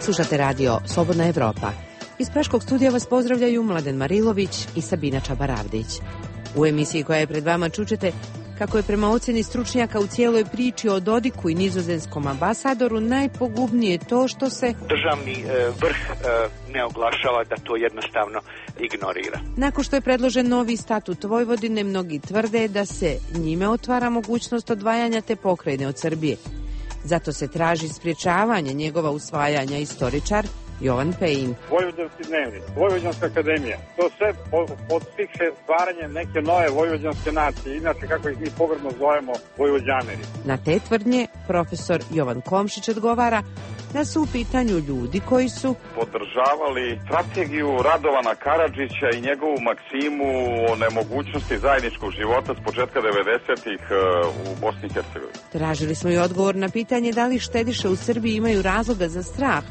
Slušate radio Slobodna Evropa. Iz Praškog studija vas pozdravljaju Mladen Marilović i Sabina Čabaravdić. U emisiji koja je pred vama čućete kako je prema ocjeni stručnjaka u cijeloj priči o Dodiku i nizozemskom ambasadoru najpogubnije to što se državni vrh ne oglašava, da to jednostavno ignorira. Nakon što je predložen novi statut Vojvodine, mnogi tvrde da se njime otvara mogućnost odvajanja te pokrajine od Srbije. Zato se traži sprječavanje njegova usvajanja. Istoričar Jovan Pejin. Vojvođanski dnevnik, Vojvođanska akademija, to sve podstiče stvaranje neke nove vojvođanske nacije, inače kako ih mi pogrdno zovemo Vojvođaneri. Na te tvrdnje profesor Jovan Komšić odgovara da su u pitanju ljudi koji su podržavali strategiju Radovana Karadžića i njegovu maksimu o nemogućnosti zajedničkog života s početka 90-ih u Bosni i Hercegovini. Tražili smo i odgovor na pitanje da li štediše u Srbiji imaju razloga za strah,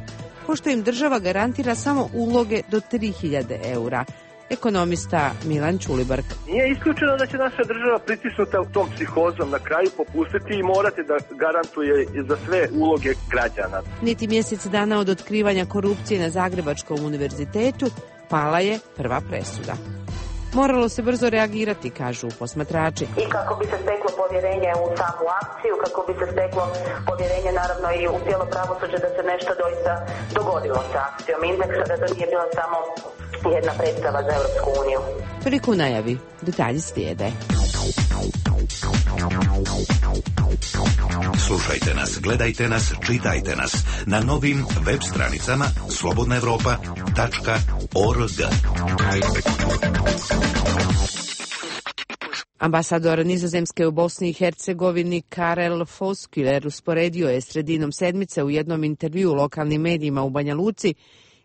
pošto im država garantira samo uloge do 3000 eura. Ekonomista Milan Ćulibrk. Nije isključeno da će naša država pritisnuta tom psihozom na kraju popustiti i morati da garantuje za sve uloge građana. Niti mjesec dana od otkrivanja korupcije na Zagrebačkom univerzitetu pala je prva presuda. Moralo se brzo reagirati, kažu posmatrači. I kako bi se steklo povjerenje u samu akciju, kako bi se steklo povjerenje naravno i u cijelo pravosuđe da se nešto doista dogodilo sa akcijom Indeksa, da to nije bila samo jedna predstava za Europsku uniju. Toliko u najavi, detalji slijede. Slušajte nas, gledajte nas, čitajte nas na novim web stranicama slobodnaevropa.org. Ambasador Nizozemske u Bosni i Hercegovini Karel Fosküler usporedio je sredinom sedmice u jednom intervjuu lokalnim medijima u Banja Luci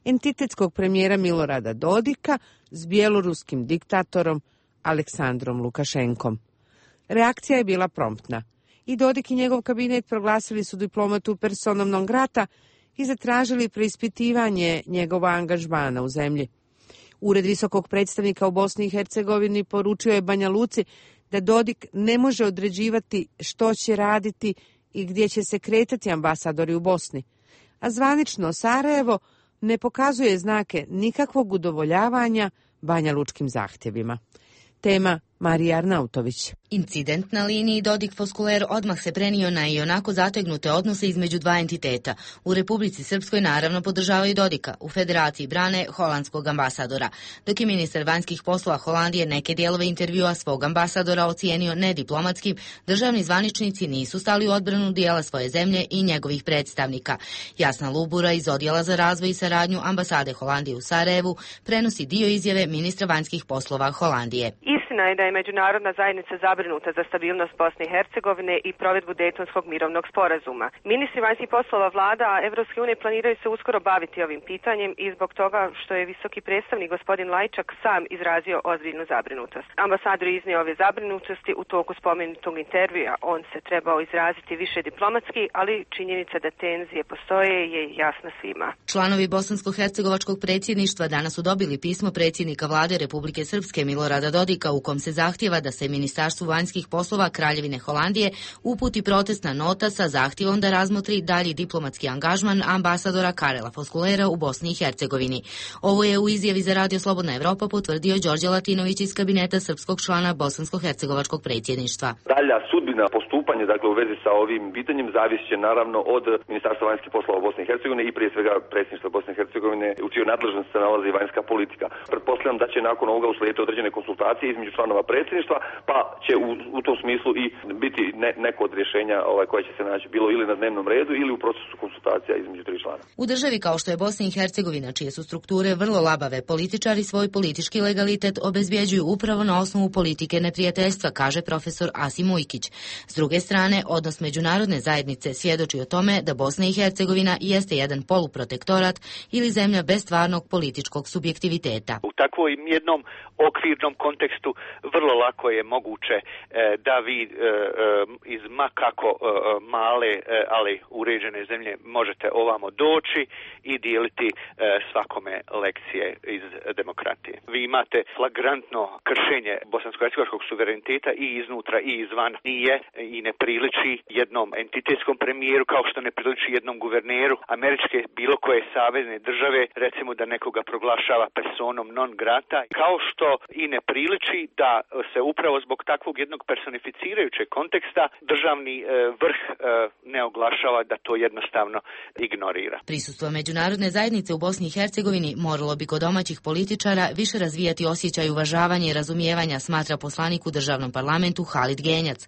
entitetskog premijera Milorada Dodika s bjeloruskim diktatorom Aleksandrom Lukašenkom. Reakcija je bila promptna. I Dodik i njegov kabinet proglasili su diplomatu personom non grata i zatražili preispitivanje njegova angažmana u zemlji. Ured visokog predstavnika u Bosni i Hercegovini poručio je Banja Luci da Dodik ne može određivati što će raditi i gdje će se kretati ambasadori u Bosni. A zvanično Sarajevo ne pokazuje znake nikakvog udovoljavanja banjalučkim zahtjevima. Tema Marija Arnautović. Incident na liniji Dodik-Fosküler odmah se prenio na ionako zategnute odnose između dva entiteta. U Republici Srpskoj naravno podržavaju Dodika, u Federaciji brane holandskog ambasadora. Dok je ministar vanjskih poslova Holandije neke dijelove intervjua svog ambasadora ocijenio nediplomatskim, državni zvaničnici nisu stali u odbranu dijela svoje zemlje i njegovih predstavnika. Jasna Lubura iz Odjela za razvoj i saradnju ambasade Holandije u Sarajevu prenosi dio izjave ministra vanjskih poslova Holandije. Istina je da je međunarodna zajednica zabrinuta za stabilnost Bosne i Hercegovine i provedbu Dejtonskog mirovnog sporazuma. Ministri vanjskih poslova vlada Evropske unije planiraju se uskoro baviti ovim pitanjem i zbog toga što je visoki predstavnik gospodin Lajčak sam izrazio ozbiljnu zabrinutost. Ambasador je iznio ove zabrinutosti u toku spomenutog intervjua. On se trebao izraziti više diplomatski, ali činjenica da tenzije postoje je jasna svima. Članovi bosansko-hercegovačkog predsjedništva danas su dobili pismo predsjednika vlade Republike Srpske Milorada Dodika u kom se zahtjeva da se Ministarstvu vanjskih poslova Kraljevine Holandije uputi protestna nota sa zahtjevom da razmotri dalji diplomatski angažman ambasadora Karela Foskülera u Bosni i Hercegovini. Ovo je u izjavi za Radio Slobodna Evropa potvrdio Đorđe Latinović iz kabineta srpskog člana bosansko-hercegovačkog predsjedništva. Dalja sudbina postupanja, dakle u vezi sa ovim pitanjem, zavisit će naravno od Ministarstva vanjskih poslova Bosne i Hercegovine i prije svega predsjedništva Bosne i Hercegovine, u čijoj nadležnosti se nalazi vanjska politika. Pretpostavljam da će nakon ovoga uslijediti određene konsultacije između članova predsjedništva, pa će u tom smislu i biti neko od rješenja koje će se naći bilo ili na dnevnom redu ili u procesu konsultacija između tri člana. U državi kao što je Bosna i Hercegovina, čije su strukture vrlo labave, političari svoj politički legalitet obezbjeđuju upravo na osnovu politike neprijateljstva, kaže profesor Asim Ujkić. S druge strane, odnos međunarodne zajednice svjedoči o tome da Bosna i Hercegovina jeste jedan poluprotektorat ili zemlja bez stvarnog političkog subjektiviteta. U takvom jednom okvirnom kontekstu vrlo lako je moguće da vi iz makako male, ali uređene zemlje možete ovamo doći i dijeliti svakome lekcije iz demokratije. Vi imate flagrantno kršenje bosansko-hercegovačkog suvereniteta i iznutra i izvan. Nije i ne priliči jednom entitetskom premijeru kao što ne priliči jednom guverneru američke bilo koje savezne države, recimo da nekoga proglašava personom non grata, kao što i ne priliči da se upravo zbog takvog jednog personificirajućeg konteksta državni vrh ne oglašava, da to jednostavno ignorira. Prisustvo međunarodne zajednice u Bosni i Hercegovini moralo bi kod domaćih političara više razvijati osjećaj uvažavanja i razumijevanja, smatra poslanik u državnom parlamentu Halid Genjac.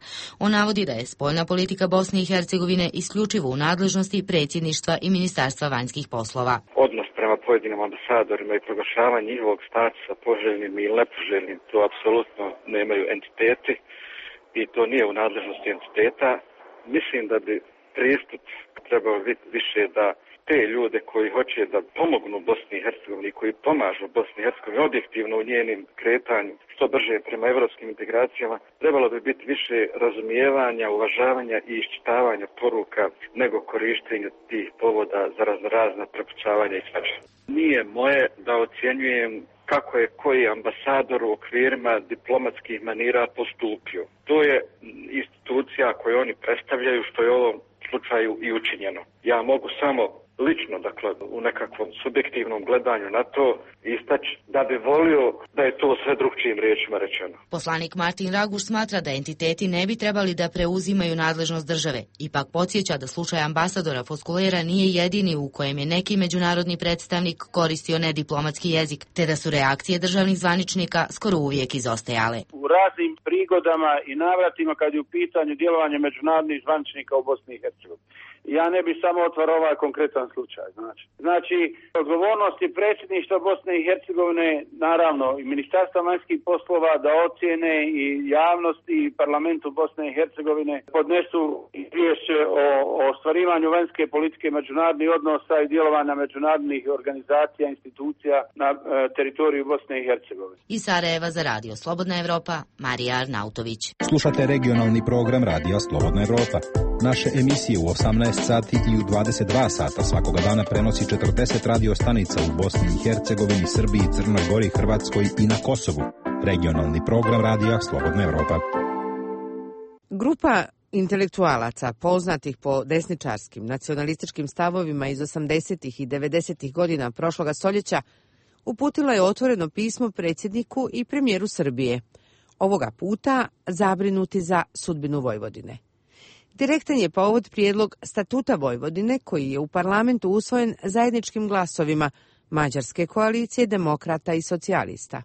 On navodi da je spoljna politika Bosne i Hercegovine isključivo u nadležnosti predsjedništva i Ministarstva vanjskih poslova. Odnos prema pojedinim ambasadorima i proglašavanje njihovog statusa poželjnim i nepoželjnim, to apsolutno nemaju entiteti i to nije u nadležnosti entiteta. Mislim da bi pristup trebao biti više da te ljude koji hoće da pomognu Bosni i Hercegovini, koji pomažu Bosni i Hercegovini objektivno u njenim kretanju što brže prema evropskim integracijama, trebalo bi biti više razumijevanja, uvažavanja i iščitavanja poruka nego korištenja tih povoda za razna prepucavanja i svača. Nije moje da ocjenjujem kako je koji ambasador u okvirima diplomatskih manira postupio. To je institucija koju oni predstavljaju, što je u ovom slučaju i učinjeno. Ja mogu samo lično, dakle, u nekakvom subjektivnom gledanju na to istaći da bi volio da je to sve drugčijim riječima rečeno. Poslanik Martin Raguš smatra da entiteti ne bi trebali da preuzimaju nadležnost države. Ipak podsjeća da slučaj ambasadora Foskulera nije jedini u kojem je neki međunarodni predstavnik koristio nediplomatski jezik, te da su reakcije državnih zvaničnika skoro uvijek izostajale. U raznim prigodama i navratima kad je u pitanju djelovanje međunarodnih zvaničnika u Bosni i Hercegovini. Ja ne bi samo otvarao ovaj konkretan slučaj. Znači, odgovornost je predsjedništva Bosne i Hercegovine, naravno i Ministarstva vanjskih poslova da ocjene i javnosti i parlamentu Bosne i Hercegovine podnesu izvješće o ostvarivanju vanjske politike međunarodnih odnosa i djelovanja međunarodnih organizacija, institucija na teritoriju Bosne i Hercegovine. Iz Sarajeva za Radio Slobodna Evropa, Marija Arnautović. Slušate regionalni program Radija Slobodna Evropa. Naše emisije u 18 sati i u 22 sata svakoga dana prenosi 40 radio stanica u Bosni i Hercegovini, Srbiji, Crnoj Gori, Hrvatskoj i na Kosovu. Regionalni program Radija Slobodna Evropa. Grupa intelektualaca poznatih po desničarskim nacionalističkim stavovima iz 80. i 90. godina prošloga stoljeća uputila je otvoreno pismo predsjedniku i premijeru Srbije. Ovoga puta zabrinuti za sudbinu Vojvodine. Direktan je povod prijedlog Statuta Vojvodine koji je u parlamentu usvojen zajedničkim glasovima Mađarske koalicije, demokrata i socijalista.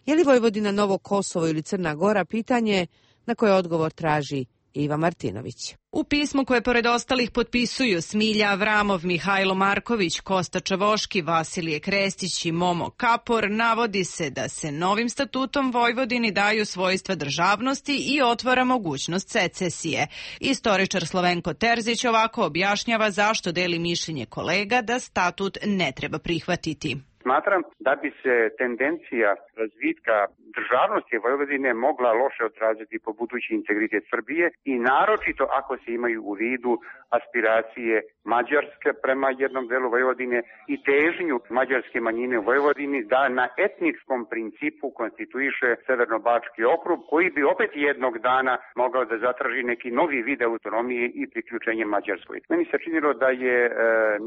Je li Vojvodina novo Kosovo ili Crna Gora, pitanje na koje odgovor traži Iva Martinović. U pismu koje pored ostalih potpisuju Smilja Avramov, Mihajlo Marković, Kosta Čavoški, Vasilije Krestić i Momo Kapor navodi se da se novim statutom Vojvodini daju svojstva državnosti i otvara mogućnost secesije. Istoričar Slovenko Terzić ovako objašnjava zašto deli mišljenje kolega da statut ne treba prihvatiti. Smatram da bi se tendencija razvitka državnosti Vojvodine mogla loše odraziti po budući integritet Srbije i naročito ako se imaju u vidu aspiracije Mađarske prema jednom delu Vojvodine i težnju mađarske manjine u Vojvodini da na etničkom principu konstituiše Severno-Bački okrug, koji bi opet jednog dana mogao da zatraži neki novi vid autonomije i priključenje Mađarskoj. Meni se činilo da je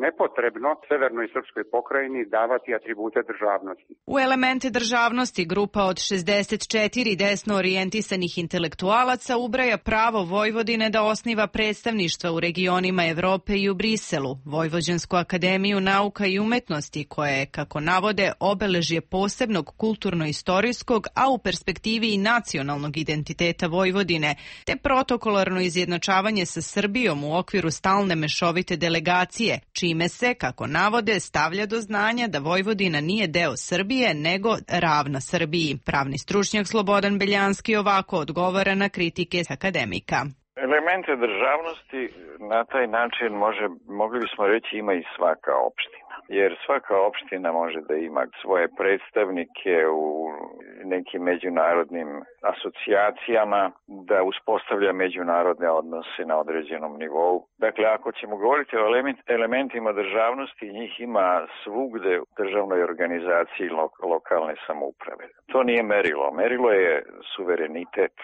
nepotrebno Severnoj Srpskoj pokrajini davati atribute državnosti. U elemente državnosti grupa od 64 desno orijentisanih intelektualaca ubraja pravo Vojvodine da osniva predstavništva u regionima Evrope i u Briselu, Vojvođansku akademiju nauka i umetnosti, koja je, kako navode, obeležje posebnog kulturno-istorijskog, a u perspektivi i nacionalnog identiteta Vojvodine, te protokolarno izjednačavanje sa Srbijom u okviru stalne mešovite delegacije, čime se, kako navode, stavlja do znanja da Vojvodina nije deo Srbije, nego ravna Srbiji. Pravni stručnjak Slobodan Beljanski ovako odgovara na kritike akademika. Elemente državnosti na taj način mogli bismo reći ima i svaka opština. jer svaka opština može da ima svoje predstavnike u nekim međunarodnim asocijacijama, da uspostavlja međunarodne odnose na određenom nivou. Dakle, ako ćemo govoriti o elementima državnosti, njih ima svugde u državnoj organizaciji lokalne samouprave. To nije merilo. Merilo je suverenitet.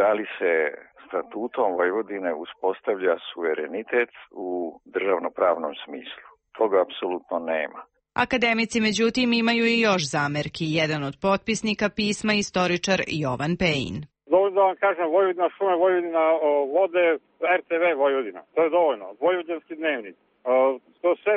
Da li se statutom Vojvodine uspostavlja suverenitet u državnopravnom smislu? Toga apsolutno nema. Akademici, međutim, imaju i još zamerki. Jedan od potpisnika pisma je istoričar Jovan Pejin. Dovoljno da vam kažem, Vojvodina šume, Vojvodina vode, RTV Vojvodina. To je dovoljno. Vojvođanski dnevnik. To sve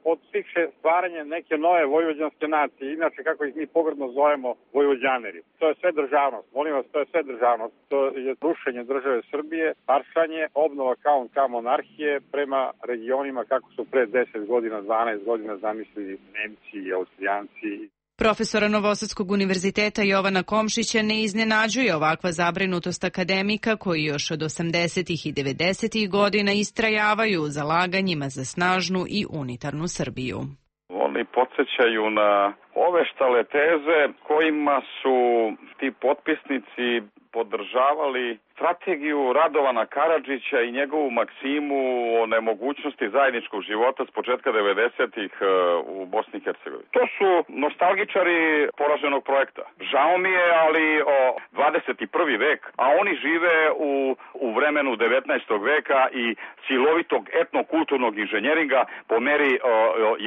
podstiče stvaranje neke nove vojvođanske nacije. Inače, kako ih mi pogrdno zovemo, vojvođaneri. To je sve državnost. Molim vas, to je sve državnost. To je rušenje države Srbije, paršanje, obnova kao monarhije prema regionima kako su pre 10 godina, 12 godina zamislili Nemci i Austrijanci. Profesora Novosadskog univerziteta Jovana Komšića ne iznenađuje ovakva zabrinutost akademika koji još od 80. i 90. godina istrajavaju u zalaganjima za snažnu i unitarnu Srbiju. Oni podsjećaju na ove štale teze kojima su ti potpisnici podržavali strategiju Radovana Karadžića i njegovu maksimu o nemogućnosti zajedničkog života s početka 90-ih u Bosni i Hercegovini. To su nostalgičari poraženog projekta. Žao mi je, ali 21. vek, a oni žive u vremenu 19. veka i silovitog etnokulturnog inženjeringa po meri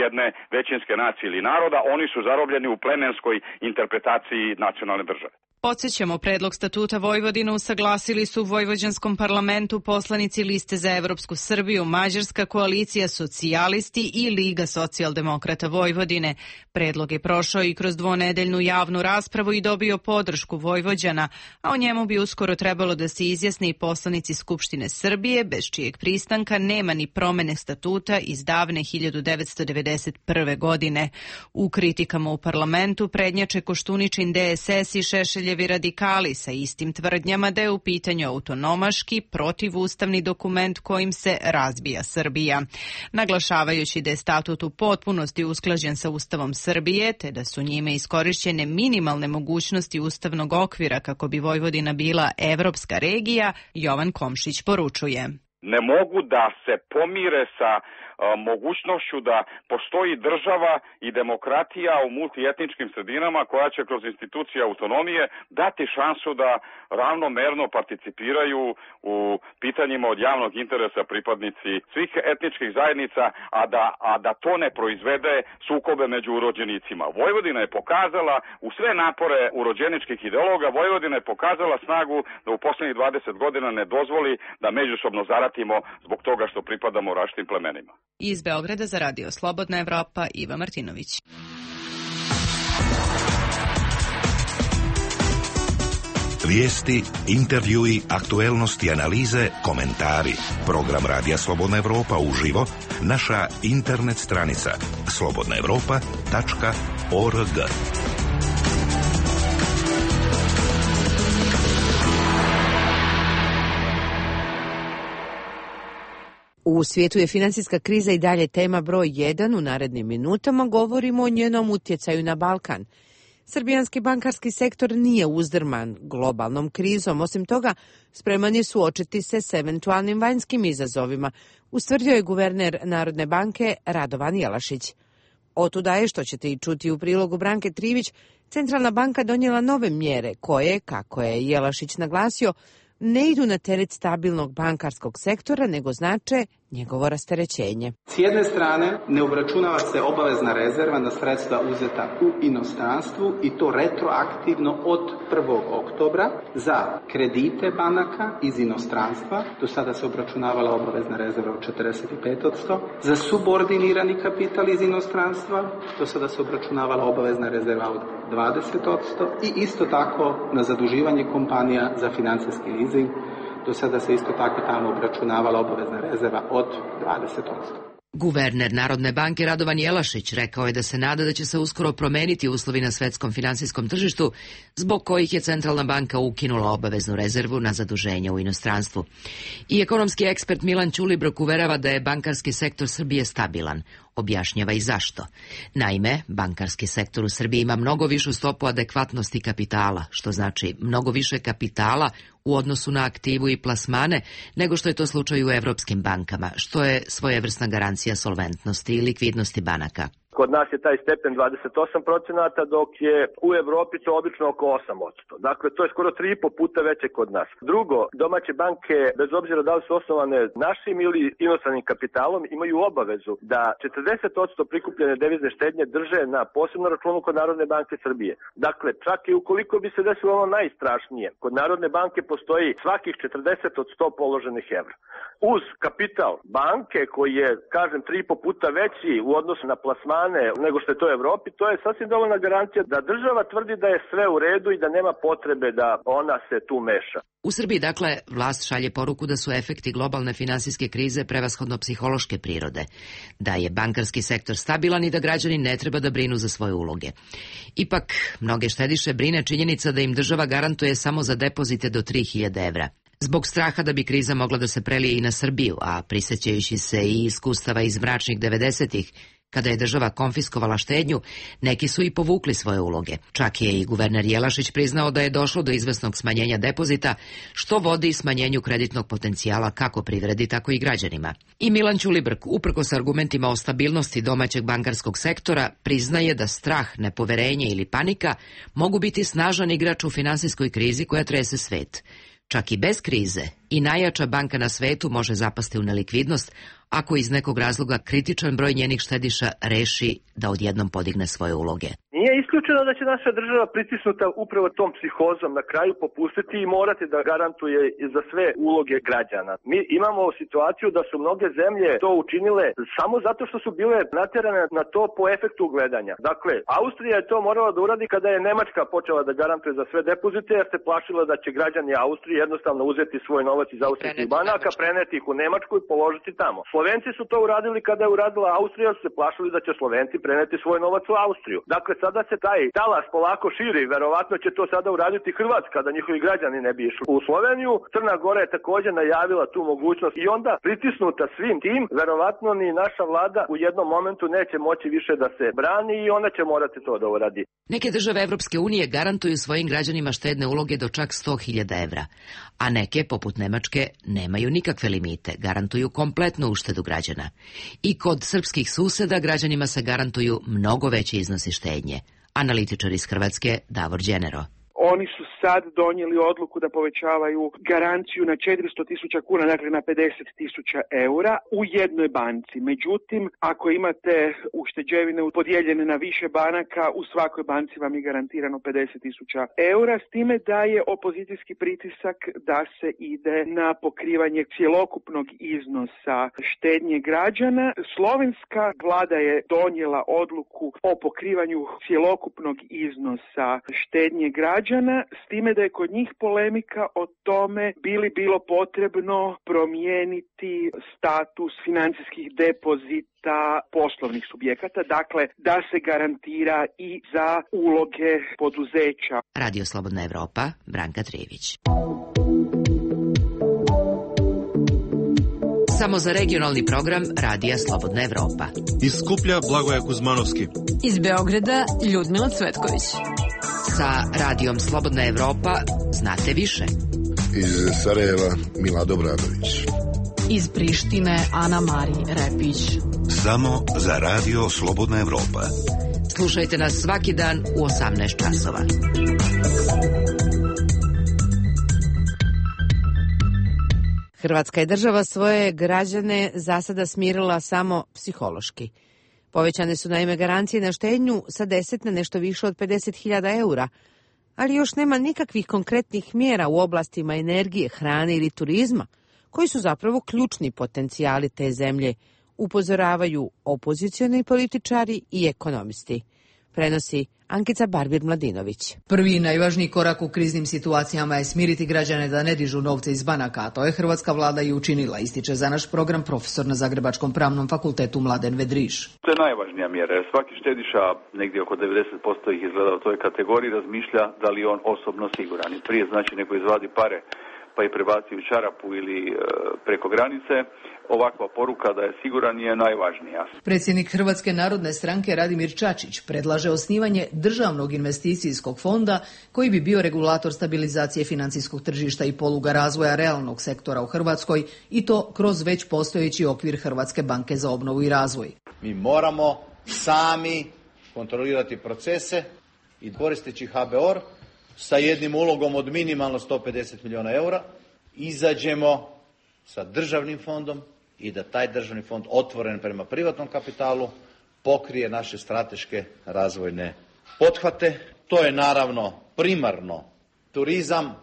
jedne većinske nacije ili naroda. Oni su zarobljeni u plemenskoj interpretaciji nacionalne države. Podsjećamo, predlog statuta Vojvodine usaglasili su u Vojvođanskom parlamentu poslanici Liste za Evropsku Srbiju, Mađarska koalicija Socijalisti i Liga socijaldemokrata Vojvodine. Predlog je prošao i kroz dvonedeljnu javnu raspravu i dobio podršku Vojvođana, a o njemu bi uskoro trebalo da se izjasne i poslanici Skupštine Srbije, bez čijeg pristanka nema ni promene statuta iz davne 1991. godine. U kritikama u parlamentu prednjače Koštuničin DSS i Šešeljevi radikali sa istim tvrdnjama da je u pitanju autonomaški, protivustavni dokument kojim se razbija Srbija. Naglašavajući da je statut u potpunosti usklađen sa Ustavom Srbije, te da su njime iskorišćene minimalne mogućnosti ustavnog okvira kako bi Vojvodina bila evropska regija, Jovan Komšić poručuje. Ne mogu da se pomire sa mogućnošću da postoji država i demokratija u multietničkim sredinama koja će kroz institucije autonomije dati šansu da ravnomerno participiraju u pitanjima od javnog interesa pripadnici svih etničkih zajednica, a da to ne proizvede sukobe među urođenicima. Vojvodina je pokazala u sve napore urođeničkih ideologa, Vojvodina je pokazala snagu da u poslednjih 20 godina ne dozvoli da međusobno zaratimo zbog toga što pripadamo različitim plemenima. Iz Beograda za Radio Slobodna Evropa, Iva Martinović. Vijesti, intervjui, aktuelnosti, analize, komentari. Program Radija Slobodna Evropa uživo, naša internet stranica slobodnaevropa.org. U svijetu je financijska kriza i dalje tema broj 1. U narednim minutama govorimo o njenom utjecaju na Balkan. Srbijanski bankarski sektor nije uzdrman globalnom krizom. Osim toga, spreman je suočiti se s eventualnim vanjskim izazovima, ustvrdio je guverner Narodne banke Radovan Jelašić. Otuda je, što ćete i čuti u prilogu Branke Trivić, Centralna banka donijela nove mjere koje, kako je Jelašić naglasio, ne idu na teret stabilnog bankarskog sektora, nego znače njegovo rasterećenje. S jedne strane, ne obračunava se obavezna rezerva na sredstva uzeta u inostranstvu i to retroaktivno od 1. oktobra za kredite banaka iz inostranstva. Do sada se obračunavala obavezna rezerva od 45%. Za subordinirani kapital iz inostranstva, do sada se obračunavala obavezna rezerva od 20% i isto tako na zaduživanje kompanija za financijski leasing. Do sada se isto tako tamo obračunavala obavezna rezerva od 20%. Guverner Narodne banke Radovan Jelašić rekao je da se nada da će se uskoro promeniti uslovi na svetskom finansijskom tržištu, zbog kojih je Centralna banka ukinula obaveznu rezervu na zaduženje u inostranstvu. I ekonomski ekspert Milan Ćulibrok uverava da je bankarski sektor Srbije stabilan. Objašnjava i zašto. Naime, bankarski sektor u Srbiji ima mnogo višu stopu adekvatnosti kapitala, što znači mnogo više kapitala u odnosu na aktivu i plasmane nego što je to slučaj u evropskim bankama, što je svojevrsna garancija solventnosti i likvidnosti banaka. Kod nas je taj stepen 28%, dok je u Evropi to obično oko 8%. Dakle, to je skoro 3,5 puta veće kod nas. Drugo, domaće banke, bez obzira da li su osnovane našim ili inostranim kapitalom, imaju obavezu da 40% prikupljene devizne štednje drže na posebnom računu kod Narodne banke Srbije. Dakle, čak i ukoliko bi se desilo ono najstrašnije, kod Narodne banke postoji svakih 40 od 100 položenih evra. Uz kapital banke koji je, kažem, 3,5 puta veći u odnosu na plasman nego što je to u Evropi, to je sasvim dovoljna garancija da država tvrdi da je sve u redu i da nema potrebe da ona se tu meša. U Srbiji, dakle, vlast šalje poruku da su efekti globalne finansijske krize prevashodno psihološke prirode, da je bankarski sektor stabilan i da građani ne treba da brinu za svoje uloge. Ipak, mnoge štediše brine činjenica da im država garantuje samo za depozite do 3.000 evra. Zbog straha da bi kriza mogla da se prelije i na Srbiju, a prisjećajući se i iskustava iz mračnih 90-ih, kada je država konfiskovala štednju, neki su i povukli svoje uloge. Čak je i guverner Jelašić priznao da je došlo do izvesnog smanjenja depozita, što vodi smanjenju kreditnog potencijala kako privredi, tako i građanima. I Milan Ćulibrk, uprkos argumentima o stabilnosti domaćeg bankarskog sektora, priznaje da strah, nepoverenje ili panika mogu biti snažan igrač u finansijskoj krizi koja trese svet. Čak i bez krize i najjača banka na svetu može zapasti u nelikvidnost ako iz nekog razloga kritičan broj njenih štediša reši da odjednom podigne svoje uloge. Nije isključeno da će naša država pritisnuta upravo tom psihozom na kraju popustiti i morati da garantuje za sve uloge građana. Mi imamo situaciju da su mnoge zemlje to učinile samo zato što su bile natjerane na to po efektu gledanja. Dakle, Austrija je to morala da uradi kada je Nemačka počela da garantuje za sve depozite, jer se plašila da će građani Austrije jednostavno uzeti svoj novac iz austrijskih banaka, preneti ih u Nemačku i položiti tamo. Slovenci su to uradili kada je uradila Austrija, su se plašili da će Slovenci preneti svoj novac u Austriju. Dakle, sada se taj talas polako širi, verovatno će to sada uraditi Hrvatska, da njihovi građani ne bi išli u Sloveniju. Crna Gora je također najavila tu mogućnost i onda pritisnuta svim tim, verovatno ni naša vlada u jednom momentu neće moći više da se brani i ona će morati to da uradi. Neke države Evropske unije garantuju svojim građanima štedne uloge do čak 100.000 evra, a neke, poput Nemačke, nemaju nikakve limite, garantuju kompletnu uštedu građana. I kod srpskih suseda građanima se garantuju mnogo veći iznosi štednje. Analitičar iz Hrvatske Davor Đenero. Oni su sad donijeli odluku da povećavaju garanciju na 400.000 kuna, dakle na 50.000 eura u jednoj banci. Međutim, ako imate ušteđevine podijeljene na više banaka, u svakoj banci vam je garantirano 50.000 eura, s time da je opozicijski pritisak da se ide na pokrivanje cjelokupnog iznosa štednje građana. Slovenska vlada je donijela odluku o pokrivanju cjelokupnog iznosa štednje građana, s time da je kod njih polemika o tome bilo potrebno promijeniti status financijskih depozita poslovnih subjekata, dakle da se garantira i za uloge poduzeća. Radio Slobodna Evropa, Branka Trijević. Samo za regionalni program Radija Slobodna Evropa. Iz Skuplja Blagoje Kuzmanovski. Iz Beograda Ljudmila Cvetković. Sa Radijom Slobodna Evropa znate više. Iz Sarajeva Mila Dobradović. Iz Prištine Ana Mari Repić. Samo za Radio Slobodna Evropa. Slušajte nas svaki dan u 18 časova. Hrvatska je država svoje građane za sada smirila samo psihološki. Povećane su naime garancije na štednju sa 10 na nešto više od 50.000 eura, ali još nema nikakvih konkretnih mjera u oblastima energije, hrane ili turizma, koji su zapravo ključni potencijali te zemlje, upozoravaju opozicioni političari i ekonomisti. Prenosi Ankica Barbir-Mladinović. Prvi i najvažniji korak u kriznim situacijama je smiriti građane da ne dižu novce iz banaka, a to je hrvatska vlada i učinila, ističe za naš program profesor na Zagrebačkom pravnom fakultetu Mladen Vedriš. To je najvažnija mjera, jer svaki štediša, negdje oko 90% ih izgleda u toj kategoriji, razmišlja da li on osobno siguran. I prije znači nego izvadi pare pa i prebaci u čarapu ili preko granice, ovakva poruka da je siguran je najvažnija. Predsjednik Hrvatske narodne stranke Radimir Čačić predlaže osnivanje državnog investicijskog fonda koji bi bio regulator stabilizacije financijskog tržišta i poluga razvoja realnog sektora u Hrvatskoj i to kroz već postojeći okvir Hrvatske banke za obnovu i razvoj. Mi moramo sami kontrolirati procese i koristeći HBOR sa jednim ulogom od minimalno 150 milijuna eura izađemo sa državnim fondom i da taj državni fond otvoren prema privatnom kapitalu pokrije naše strateške razvojne pothvate. To je naravno primarno turizam,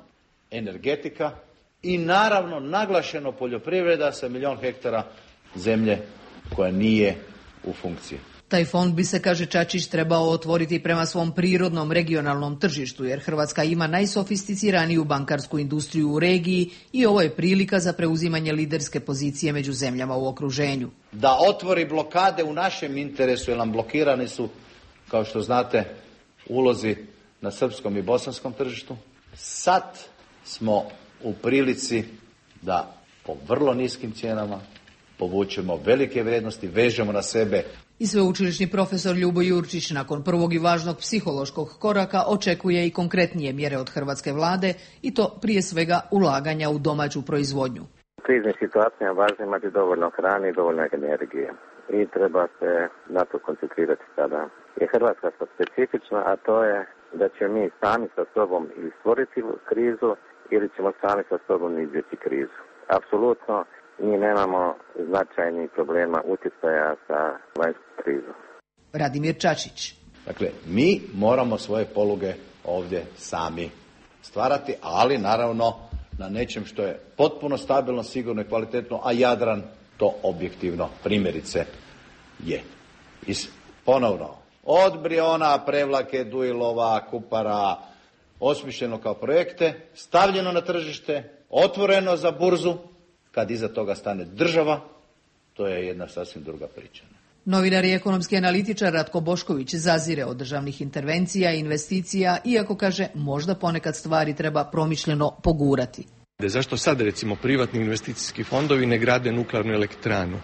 energetika i naravno naglašeno poljoprivreda sa 1 milijun hektara zemlje koja nije u funkciji. Taj fond bi se, kaže Čačić, trebao otvoriti prema svom prirodnom regionalnom tržištu, jer Hrvatska ima najsofisticiraniju bankarsku industriju u regiji i ovo je prilika za preuzimanje liderske pozicije među zemljama u okruženju. Da otvori blokade u našem interesu, jer nam blokirani su, kao što znate, ulozi na srpskom i bosanskom tržištu. Sad smo u prilici da po vrlo niskim cijenama povučemo velike vrijednosti, vežemo na sebe. I sveučilišni profesor Ljubo Jurčić nakon prvog i važnog psihološkog koraka očekuje i konkretnije mjere od hrvatske vlade i to prije svega ulaganja u domaću proizvodnju. U kriznim situacijama važno imati dovoljno hrane i dovoljno energije i treba se na to koncentrirati sada. Je Hrvatska specifična, a to je da ćemo mi sami sa sobom ili stvoriti krizu ili ćemo sami sa sobom izbjeći krizu. Apsolutno mi nemamo značajnih problema utjecaja sa vanjskom krizom. Radimir Čačić. Dakle, mi moramo svoje poluge ovdje sami stvarati, ali naravno na nečem što je potpuno stabilno, sigurno i kvalitetno, a Jadran to objektivno primjerice je. I ponovno, od Briona, Prevlake, Dujilova, Kupara, osmišljeno kao projekte, stavljeno na tržište, otvoreno za burzu. Kad iza toga stane država, to je jedna sasvim druga priča. Novinar i ekonomski analitičar Ratko Bošković zazire od državnih intervencija i investicija, iako kaže možda ponekad stvari treba promišljeno pogurati. Zašto sad recimo privatni investicijski fondovi ne grade nuklearnu elektranu?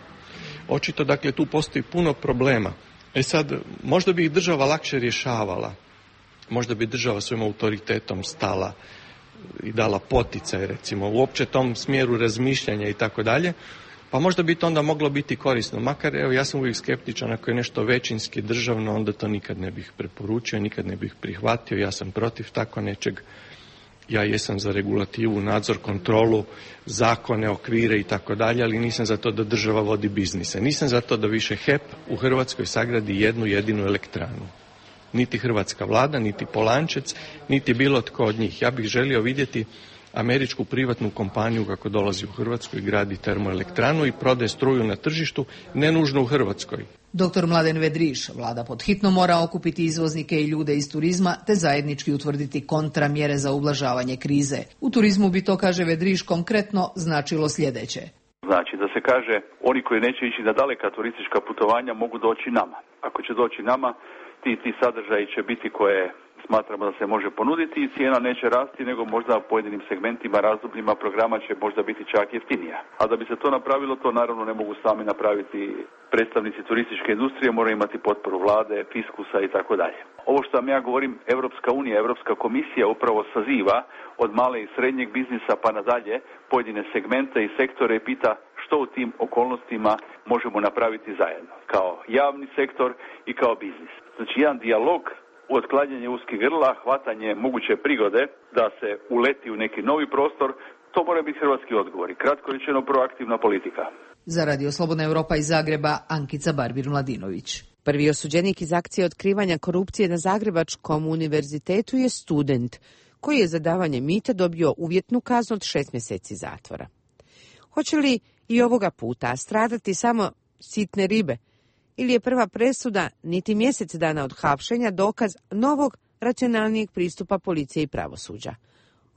Očito dakle tu postoji puno problema. Sad, možda bi ih država lakše rješavala, možda bi država svojim autoritetom stala i dala poticaj recimo uopće tom smjeru razmišljanja i tako dalje, pa možda bi to onda moglo biti korisno. Makar evo ja sam uvijek skeptičan, ako je nešto većinski državno, onda to nikad ne bih preporučio, nikad ne bih prihvatio, ja sam protiv tako nečeg. Ja jesam za regulativu, nadzor, kontrolu, zakone, okvire i tako dalje, ali nisam za to da država vodi biznise. Nisam za to da više HEP u Hrvatskoj sagradi jednu jedinu elektranu. Niti hrvatska vlada, niti Polančec, niti bilo tko od njih. Ja bih želio vidjeti američku privatnu kompaniju kako dolazi u Hrvatsku i gradi termoelektranu i prodaje struju na tržištu, ne nužno u Hrvatskoj. Dr. Mladen Vedriš, vlada pod hitno mora okupiti izvoznike i ljude iz turizma te zajednički utvrditi kontramjere za ublažavanje krize. U turizmu bi to, kaže Vedriš, konkretno značilo sljedeće. Znači da se kaže, oni koji neće ići na daleka turistička putovanja mogu doći nama. Ako će doći nama, ti sadržaji će biti koje smatramo da se može ponuditi i cijena neće rasti, nego možda u pojedinim segmentima, razdobljima programa će možda biti čak jeftinija. A da bi se to napravilo, to naravno ne mogu sami napraviti predstavnici turističke industrije, moraju imati potporu vlade, fiskusa i tako dalje. Ovo što vam ja govorim, Europska unija, Europska komisija upravo saziva od male i srednjeg biznisa pa nadalje pojedine segmente i sektore i pita što u tim okolnostima možemo napraviti zajedno, kao javni sektor i kao biznis. Znači jedan dijalog, otklanjanje uskih grla, hvatanje moguće prigode da se uleti u neki novi prostor, to mora biti hrvatski odgovor i kratko rečeno proaktivna politika. Za Radio Slobodna Europa iz Zagreba, Ankica Barbir-Mladinović. Prvi osuđenik iz akcije otkrivanja korupcije na Zagrebačkom univerzitetu je student, koji je za davanje mita dobio uvjetnu kaznu od 6 mjeseci zatvora. Hoće li i ovoga puta stradati samo sitne ribe? Ili je prva presuda, niti mjesec dana od hapšenja, dokaz novog, racionalnijeg pristupa policije i pravosuđa?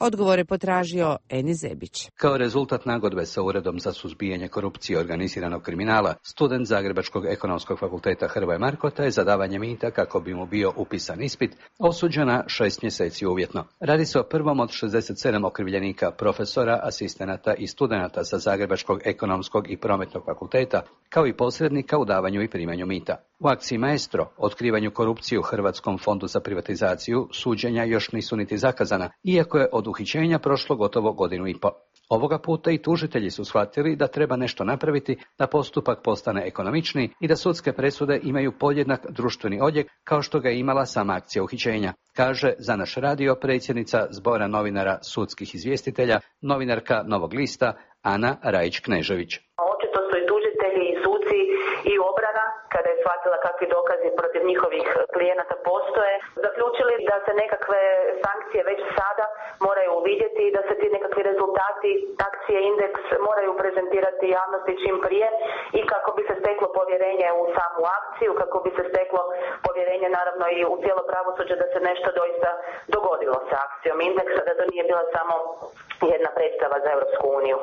Odgovor je potražio Eni Zebić. Kao rezultat nagodbe sa Uredom za suzbijanje korupcije i organiziranog kriminala, student Zagrebačkog ekonomskog fakulteta Hrvoje Markota je za davanje mita kako bi mu bio upisan ispit osuđen na 6 mjeseci uvjetno. Radi se o prvom od 67 okrivljenika, profesora, asistenata i studenata sa Zagrebačkog ekonomskog i prometnog fakulteta, kao i posrednika u davanju i primanju mita. U akciji Maestro, otkrivanju korupcije u Hrvatskom fondu za privatizaciju, suđenja još nisu niti zakazana, iako je od uhićenja prošlo gotovo godinu i po. Ovoga puta i tužitelji su shvatili da treba nešto napraviti da postupak postane ekonomičniji i da sudske presude imaju podjednak društveni odjek kao što ga je imala sama akcija uhićenja, kaže za naš radio predsjednica Zbora novinara sudskih izvjestitelja, novinarka Novog lista Ana Rajić-Knežević. Očito su i tužitelji i suci i obrana, kada je shvatila kakvi dokazi protiv njihovih klijenata postoje, zaključili da se nekakve sankcije već sada moraju uvidjeti i da se ti nekakvi rezultati akcije Indeks moraju prezentirati javnosti čim prije i kako bi se steklo povjerenje u samu akciju, kako bi se steklo povjerenje naravno i u cijelo pravosuđe da se nešto doista dogodilo sa akcijom Indeksa, da to nije bila samo jedna predstava za Europsku uniju.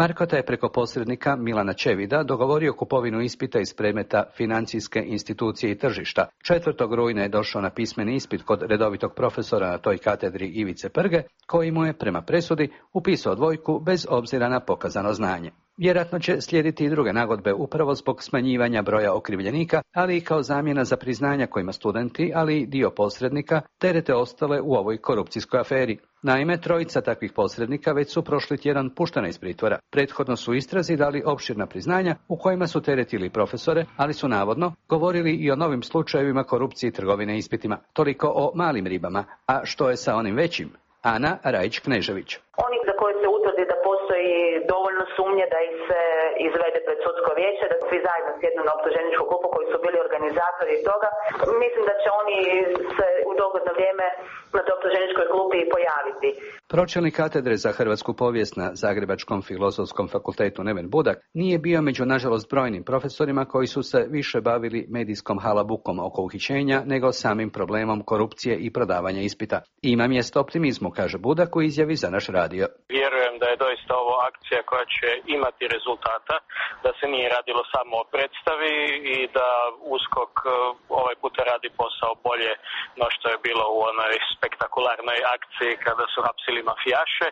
Markota je preko posrednika Milana Čevida dogovorio kupovinu ispita iz predmeta financijske institucije i tržišta. 4. rujna je došao na pismeni ispit kod redovitog profesora na toj katedri Ivice Prge, koji mu je prema presudi upisao 2 bez obzira na pokazano znanje. Vjerojatno će slijediti i druge nagodbe upravo zbog smanjivanja broja okrivljenika, ali i kao zamjena za priznanja kojima studenti, ali i dio posrednika, terete ostale u ovoj korupcijskoj aferi. Naime, 3 takvih posrednika već su prošli tjedan puštena iz pritvora. Prethodno su istrazi dali opširna priznanja u kojima su teretili profesore, ali su navodno govorili i o novim slučajevima korupcije i trgovine ispitima. Toliko o malim ribama, a što je sa onim većim? Ana Rajić-Knežević. Oni za koje se utvrdi da postoji dovoljno sumnje da ih se izvede pred sudsko vijeće, da svi zajedno sjednu na optuženičku klupu koji su bili organizatori toga, mislim da će oni se u dogledno vrijeme na toj optuženičkoj klupi i pojaviti. Pročelnik katedre za hrvatsku povijest na Zagrebačkom filozofskom fakultetu Neven Budak nije bio među nažalost brojnim profesorima koji su se više bavili medijskom halabukom oko uhićenja nego samim problemom korupcije i prodavanja ispita. Ima mjesto optimizmu, kaže Budak u izjavi za naš radio. Vjerujem da je doista ovo akcija koja će imati rezultata, da se nije radilo samo o predstavi i da USKOK ovaj puta radi posao bolje no što je bilo u onoj spektakularnoj akciji kada su hapsili mafijaše.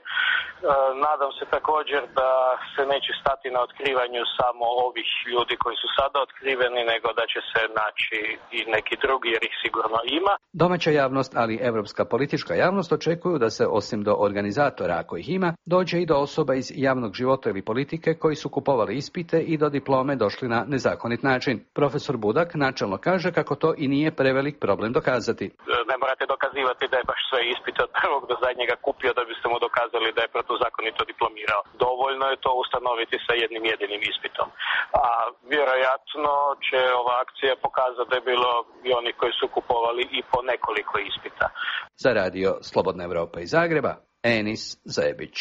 Nadam se također da se neće stati na otkrivanju samo ovih ljudi koji su sada otkriveni, nego da će se naći i neki drugi jer ih sigurno ima. Domaća javnost, ali evropska politička javnost očekuju da se osim do organizatora, ako ih ima, dođe i do osoba iz javnog života ili politike koji su kupovali ispite i do diplome došli na nezakonit način. Profesor Budak načelno kaže kako to i nije prevelik problem dokazati. Ne morate dokazivati da je baš sve ispite od prvog do zadnjega kupio da biste mu dokazali da je protuzakonito diplomirao. Dovoljno je to ustanoviti sa jednim jedinim ispitom. A vjerojatno će ova akcija pokazati da je bilo i oni koji su kupovali i po nekoliko ispita. Za radio Slobodna Evropa iz Zagreba, Enis Zebić.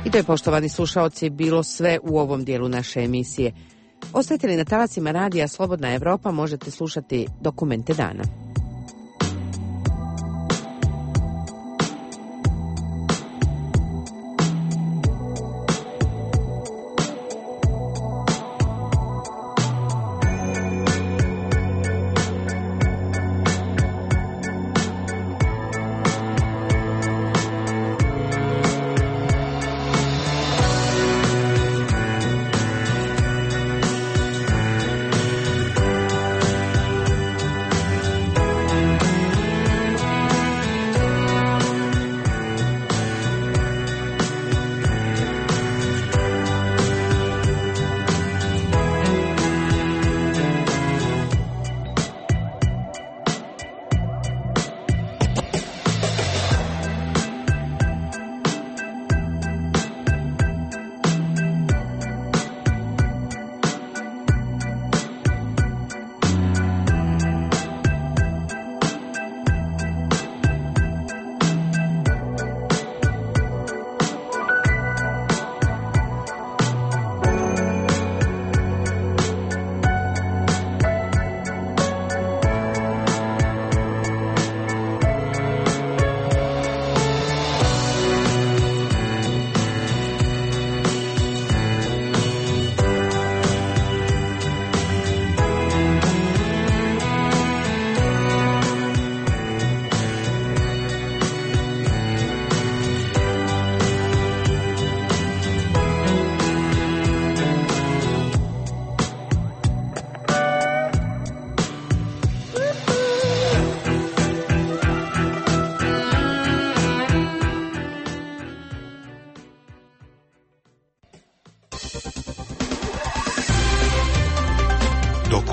I to je, poštovani slušaoci, bilo sve u ovom dijelu naše emisije. Ostajete li na talacima radija Slobodna Evropa, možete slušati Dokumente dana.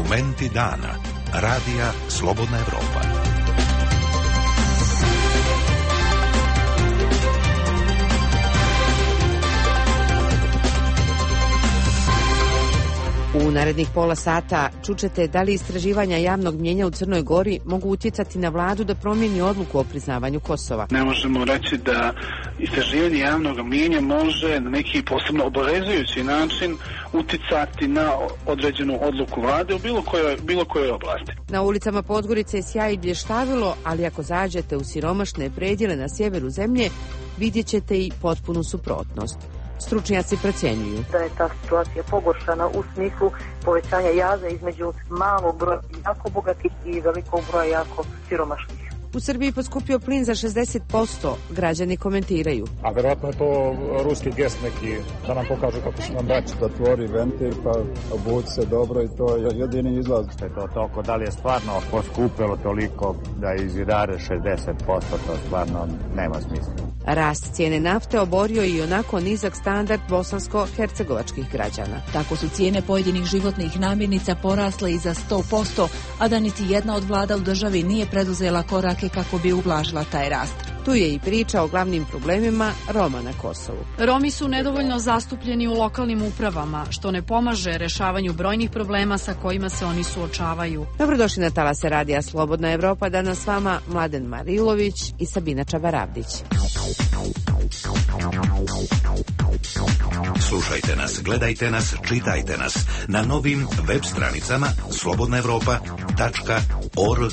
Dokumenti dana. Radija Slobodna Evropa. U narednih pola sata čućete da li istraživanja javnog mnijenja u Crnoj Gori mogu utjecati na vladu da promijeni odluku o priznavanju Kosova. Ne možemo reći da istraživanje javnog mnijenja može na neki posebno obavezujući način utjecati na određenu odluku vlade u bilo kojoj oblasti. Na ulicama Podgorice je sjaj i blještavilo, ali ako zađete u siromašne predjele na sjeveru zemlje, vidjet ćete i potpunu suprotnost. Stručnjaci procjenjuju da je ta situacija pogoršana u smislu povećanja jaza između malog broja jako bogatih i velikog broja jako siromašnih. U Srbiji poskupio plin za 60%, građani komentiraju. A verovatno je to ruski gest neki, da nam pokažu kako su nam braći. Da tvori ventil, pa obuci se dobro i to je jedini izlaz. Što je to toliko, da li je stvarno poskupilo toliko da izidare 60%, to stvarno nema smisla. Rast cijene nafte oborio i onako nizak standard bosansko-hercegovačkih građana. Tako su cijene pojedinih životnih namirnica porasle i za 100%, a da niti jedna od vlada u državi nije preduzela korake kako bi ublažila taj rast. Tu je i priča o glavnim problemima Roma na Kosovu. Romi su nedovoljno zastupljeni u lokalnim upravama, što ne pomaže rešavanju brojnih problema sa kojima se oni suočavaju. Dobrodošli na talase Radija Slobodna Evropa, danas s vama Mladen Marilović i Sabina Čabaravdić. Slušajte nas, gledajte nas, čitajte nas na novim web stranicama slobodnaevropa.org.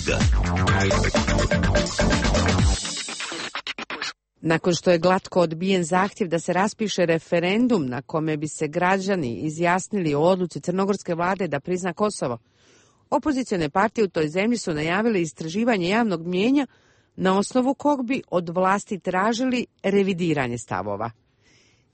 Nakon što je glatko odbijen zahtjev da se raspiše referendum na kome bi se građani izjasnili o odluci crnogorske vlade da prizna Kosovo, opozicione partije u toj zemlji su najavile istraživanje javnog mnijenja na osnovu kog bi od vlasti tražili revidiranje stavova.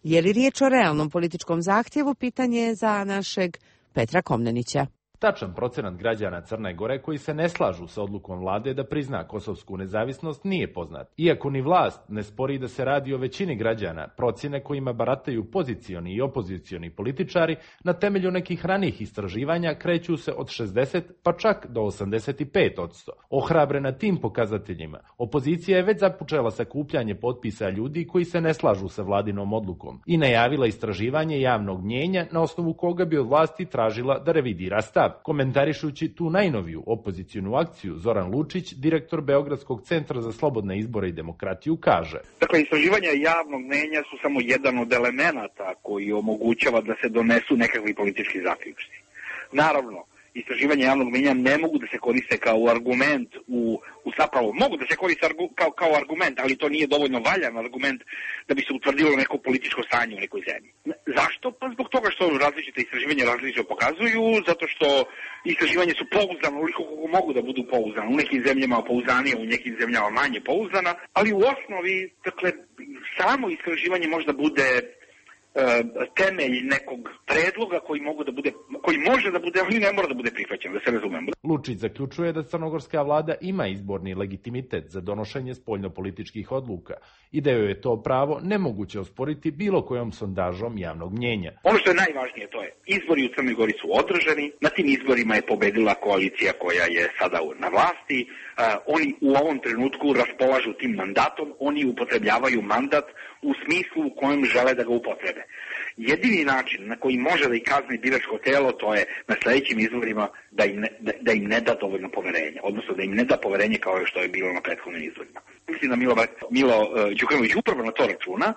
Je li riječ o realnom političkom zahtjevu, pitanje je za našeg Petra Komnenića. Tačan procenat građana Crne Gore koji se ne slažu sa odlukom vlade da prizna kosovsku nezavisnost nije poznat. Iako ni vlast ne spori da se radi o većini građana, procjene kojima barataju pozicioni i opozicioni političari na temelju nekih ranijih istraživanja kreću se od 60 pa čak do 85%. Ohrabrena tim pokazateljima, opozicija je već započela sakupljanje potpisa ljudi koji se ne slažu sa vladinom odlukom i najavila istraživanje javnog mnijenja na osnovu koga bi od vlasti tražila da revidira stav. Komentarišući tu najnoviju opozicijnu akciju, Zoran Lučić, direktor Beogradskog centra za slobodne izbore i demokratiju, kaže: Dakle, istraživanja javnog mnijenja su samo jedan od elemenata koji omogućava da se donesu nekakvi politički zaključci. Naravno, istraživanja javnog mnijenja ne mogu da se koriste kao argument zapravo mogu da se koriste kao argument, ali to nije dovoljno valjan argument da bi se utvrdilo neko političko stanje u nekoj zemlji. Zašto? Pa zbog toga što različite istraživanja različito pokazuju, zato što istraživanja su pouzdana uliko kako mogu da budu pouzdana. U nekim zemljama pouzdanije, u nekim zemljama manje pouzdana, ali u osnovi, dakle, samo istraživanje možda bude temelj nekog predloga koji može da bude, ali ne mora da bude prihvaćen, da se razumemo. Lučić zaključuje da crnogorska vlada ima izborni legitimitet za donošenje spoljnopolitičkih odluka i da joj je to pravo nemoguće osporiti bilo kojom sondažom javnog mnijenja. Ono što je najvažnije, to je izbori u Crnoj Gori su održani, na tim izborima je pobedila koalicija koja je sada na vlasti, oni u ovom trenutku raspolažu tim mandatom, oni upotrebljavaju mandat u smislu u kojem žele da ga upotrebe. Jedini način na koji može da ih kazni biračko telo, to je na sljedećim izborima da im ne da dovoljno poverenja, odnosno da im ne da poverenje kao što je bilo na prethodnim izborima. Mislim da Milo Đukanović upravo na to računa,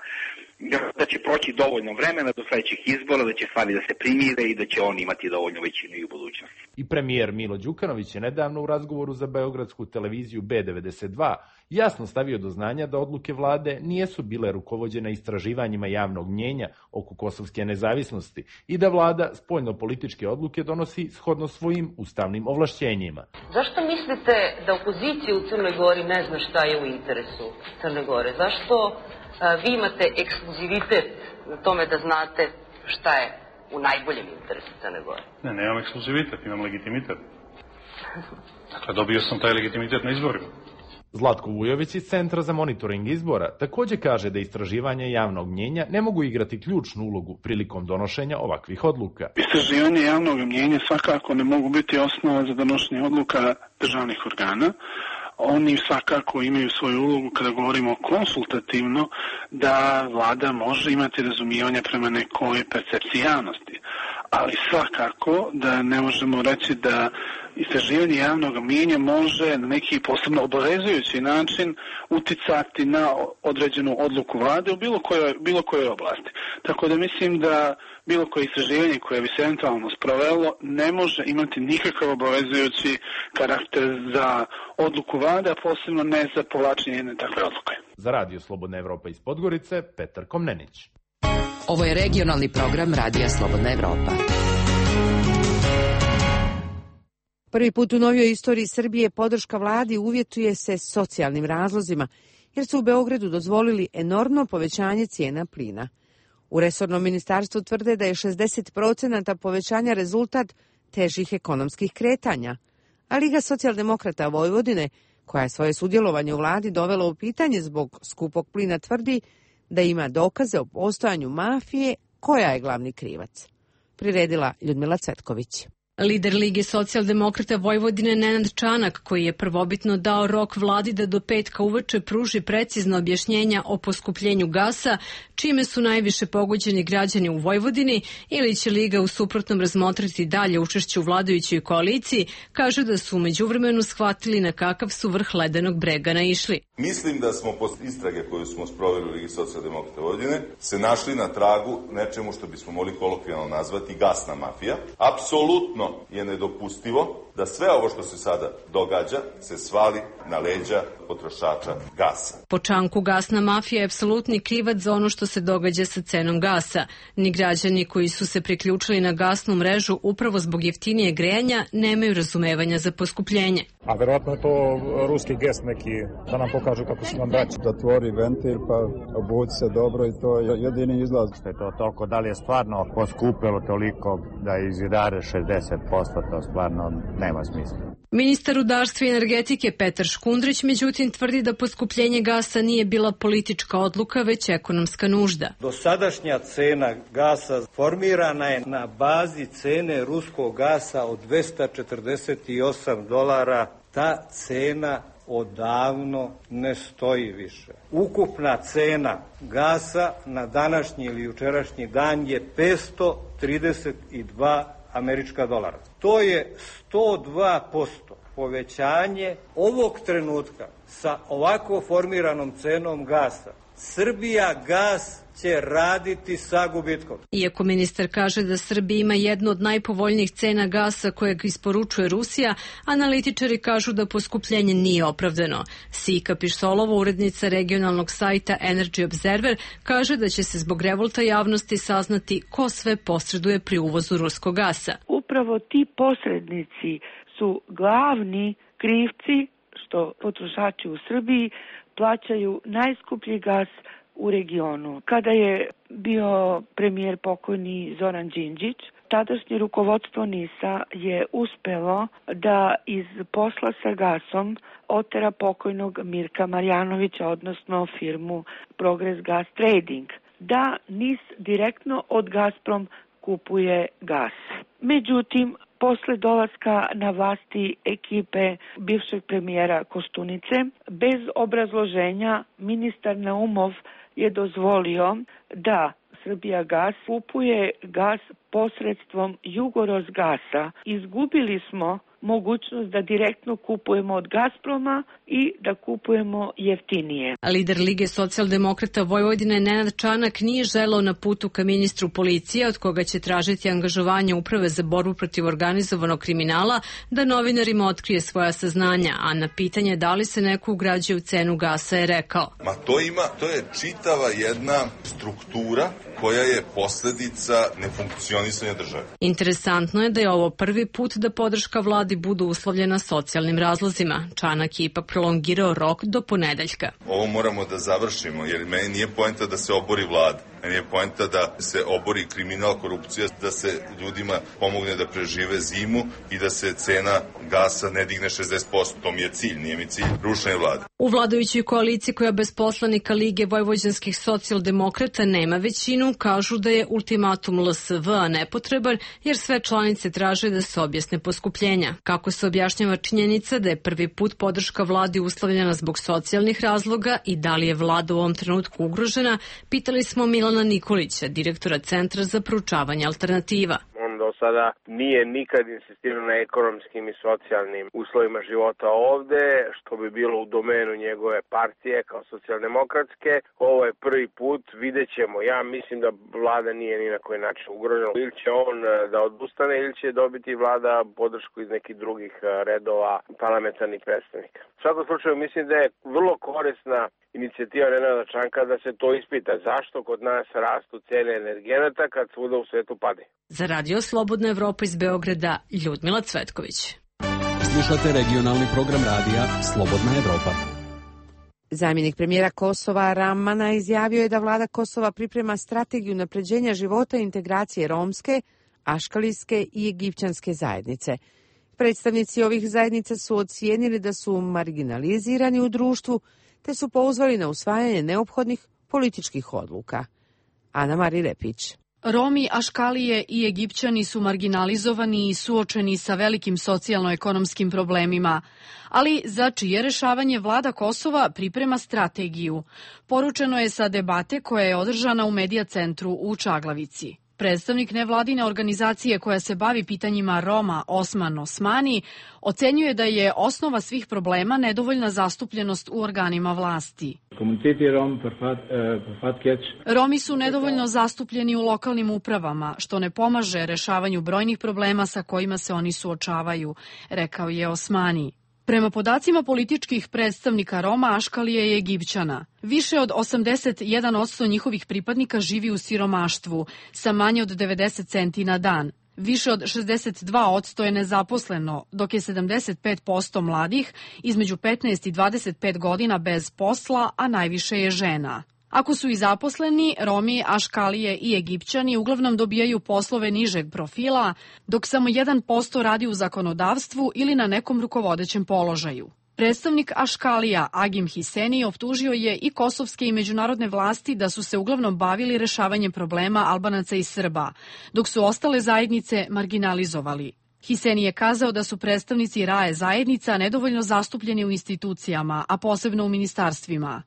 da će proći dovoljno vremena do sljedećih izbora, da će stvari da se primire i da će on imati dovoljno većinu i u budućnosti. I premijer Milo Đukanović je nedavno u razgovoru za beogradsku televiziju B92 jasno stavio do znanja da odluke vlade nijesu bile rukovođene istraživanjima javnog mnijenja oko kosovske nezavisnosti i da vlada spoljno-političke odluke donosi shodno svojim ustavnim ovlašćenjima. Zašto mislite da opozicija u Crnoj Gori ne zna šta je u interesu Crne Gore? Zašto vi imate ekskluzivitet na tome da znate šta je u najboljem interesu Crne Gore? Ne, nemam ekskluzivitet, imam legitimitet. Dakle, dobio sam taj legitimitet na izborima. Zlatko Vujović iz Centra za monitoring izbora također kaže da istraživanja javnog mnjenja ne mogu igrati ključnu ulogu prilikom donošenja ovakvih odluka. Istraživanje javnog mnjenja svakako ne mogu biti osnova za donošenje odluka državnih organa. Oni svakako imaju svoju ulogu kada govorimo konsultativno da vlada može imati razumijevanje prema nekoj percepciji javnosti. Ali svakako da ne možemo reći da istraživanje javnog mnjenja može na neki posebno obavezujući način uticati na određenu odluku vlade u bilo kojoj oblasti. Tako da mislim da bilo koje istraživanje koje bi se eventualno sprovelo ne može imati nikakav obavezujući karakter za odluku vlade, a posebno ne za povlačenje jedne takve odluke. Za Radio Slobodna Evropa iz Podgorice, Petar Komnenić. Ovo je regionalni program Radija Slobodna Evropa. Prvi put u novijoj istoriji Srbije podrška vladi uvjetuje se socijalnim razlozima, jer su u Beogradu dozvolili enormno povećanje cijena plina. U resornom ministarstvu tvrde da je 60% povećanja rezultat težih ekonomskih kretanja, a Liga socijaldemokrata Vojvodine, koja je svoje sudjelovanje u vladi dovela u pitanje zbog skupog plina, tvrdi da ima dokaze o postojanju mafije koja je glavni krivac. Priredila Ljudmila Cvetković. Lider Lige socijaldemokrata Vojvodine Nenad Čanak, koji je prvobitno dao rok vladi da do petka uveče pruži precizno objašnjenja o poskupljenju gasa, čime su najviše pogođeni građani u Vojvodini, ili će Liga u suprotnom razmotriti dalje učešće u vladajućoj koaliciji, kaže da su u međuvremenu shvatili na kakav su vrh ledenog brega naišli. Mislim da smo posle istrage koju smo sproveli u Ligi socijaldemokrata Vojvodine se našli na tragu nečemu što bismo mogli kolokvijalno nazvati gasna mafija. Apsolutno je nedopustivo da sve ovo što se sada događa se svali na leđa potrošača gasa. Po Čanku, gasna mafija je apsolutni krivac za ono što se događa sa cenom gasa. Ni građani koji su se priključili na gasnu mrežu upravo zbog jeftinije grejanja nemaju razumevanja za poskupljenje. A verovatno je to ruski gest neki da nam pokažu kako su nam braći. Zatvori ventil pa obuci se dobro i to je jedini izlaz. Što je to toliko, da li je stvarno poskupilo toliko da izidare 60%, to stvarno nema smisla. Ministar rudarstva i energetike Petar Škundrić međutim tvrdi da poskupljenje gasa nije bila politička odluka, već ekonomska nužda. Dosadašnja cena gasa formirana je na bazi cene ruskog gasa od $248. Ta cena odavno ne stoji više. Ukupna cena gasa na današnji ili jučerašnji dan je $532. To je 102% povećanje ovog trenutka sa ovako formiranom cenom gasa. Srbija gas će raditi sa gubitkom. Iako ministar kaže da Srbija ima jednu od najpovoljnijih cena gasa kojeg isporučuje Rusija, analitičari kažu da poskupljenje nije opravdano. Sika Pišsolova, urednica regionalnog sajta Energy Observer, kaže da će se zbog revolta javnosti saznati ko sve posreduje pri uvozu ruskog gasa. Upravo ti posrednici su glavni krivci što potrošači u Srbiji plaćaju najskuplji gas u regionu. Kada je bio premijer pokojni Zoran Đinđić, tadašnje rukovodstvo NIS-a je uspelo da iz posla sa gasom otera pokojnog Mirka Marjanovića, odnosno firmu Progress Gas Trading, da NIS direktno od Gazprom kupuje gas. Međutim, posle dolaska na vlasti ekipe bivšeg premijera Koštunice, bez obrazloženja ministar Naumov je dozvolio da Srbijagas kupuje gas posredstvom Jugorosgasa. Izgubili smo mogućnost da direktno kupujemo od Gazproma i da kupujemo jeftinije. Lider Lige socijaldemokrata Vojvodine Nenad Čanak nije želeo na putu ka ministru policije, od koga će tražiti angažovanje Uprave za borbu protiv organizovanog kriminala, da novinarima otkrije svoja saznanja, a na pitanje da li se neko ugrađuje u cenu gasa je rekao: To je čitava jedna struktura koja je posljedica nefunkcionisanja države. Interesantno je da je ovo prvi put da podrška vladi budu uslovljena socijalnim razlozima. Čanak je ipak prolongirao rok do ponedeljka. Ovo moramo da završimo, jer meni nije poenta da se obori vlada. Meni je poenta da se obori kriminal, korupcija, da se ljudima pomogne da prežive zimu i da se cena gasa ne digne 60%. To mi je cilj, nije mi cilj rušenje vlade. U vladajućoj koaliciji koja bez poslanika Lige vojvođanskih socijaldemokrata nema većinu, kažu da je ultimatum LSV-a nepotreban jer sve članice traže da se objasne poskupljenja. Kako se objašnjava činjenica da je prvi put podrška vladi uslovljena zbog socijalnih razloga i da li je vlada u ovom trenutku ugrožena, pitali smo Milana Nikolića, direktora Centra za proučavanje alternativa. Do sada nije nikad insistirao na ekonomskim i socijalnim uslovima života ovde, što bi bilo u domenu njegove partije kao socijaldemokratske. Ovo je prvi put, vidjet ćemo. Ja mislim da vlada nije ni na koji način ugrožena. Ili će on da odustane ili će dobiti vlada podršku iz nekih drugih redova parlamentarnih predstavnika. U svakom slučaju mislim da je vrlo korisna inicijativa Nenada Čanka da se to ispita. Zašto kod nas rastu cene energenata kad svuda u svetu pade? Za Radio Slobodna Evropa iz Beograda, Ljudmila Cvetković. Slušate regionalni program radija Slobodna Evropa. Zamjenik premijera Kosova Ramana izjavio je da vlada Kosova priprema strategiju unapređenja života i integracije romske, aškalijske i egipćanske zajednice. Predstavnici ovih zajednica su ocijenili da su marginalizirani u društvu, te su pozvali na usvajanje neophodnih političkih odluka. Ana Mari Repić. Romi, Aškalije i Egipćani su marginalizovani i suočeni sa velikim socijalno-ekonomskim problemima, ali za čije rešavanje vlada Kosova priprema strategiju. Poručeno je sa debate koja je održana u Medija centru u Čaglavici. Predstavnik nevladine organizacije koja se bavi pitanjima Roma, Osman Osmani, ocenjuje da je osnova svih problema nedovoljna zastupljenost u organima vlasti. Romi su nedovoljno zastupljeni u lokalnim upravama, što ne pomaže rešavanju brojnih problema sa kojima se oni suočavaju, rekao je Osmani. Prema podacima političkih predstavnika Roma, Aškalije i Egipćana, više od 81% njihovih pripadnika živi u siromaštvu, sa manje od 90 centi na dan. Više od 62% je nezaposleno, dok je 75% mladih između 15 i 25 godina bez posla, a najviše je žena. Ako su i zaposleni, Romi, Aškalije i Egipćani uglavnom dobijaju poslove nižeg profila, dok samo 1% radi u zakonodavstvu ili na nekom rukovodećem položaju. Predstavnik Aškalija Agim Hiseni optužio je i kosovske i međunarodne vlasti da su se uglavnom bavili rešavanjem problema Albanaca i Srba, dok su ostale zajednice marginalizovali. Hiseni je kazao da su predstavnici RAE zajednica nedovoljno zastupljeni u institucijama, a posebno u ministarstvima.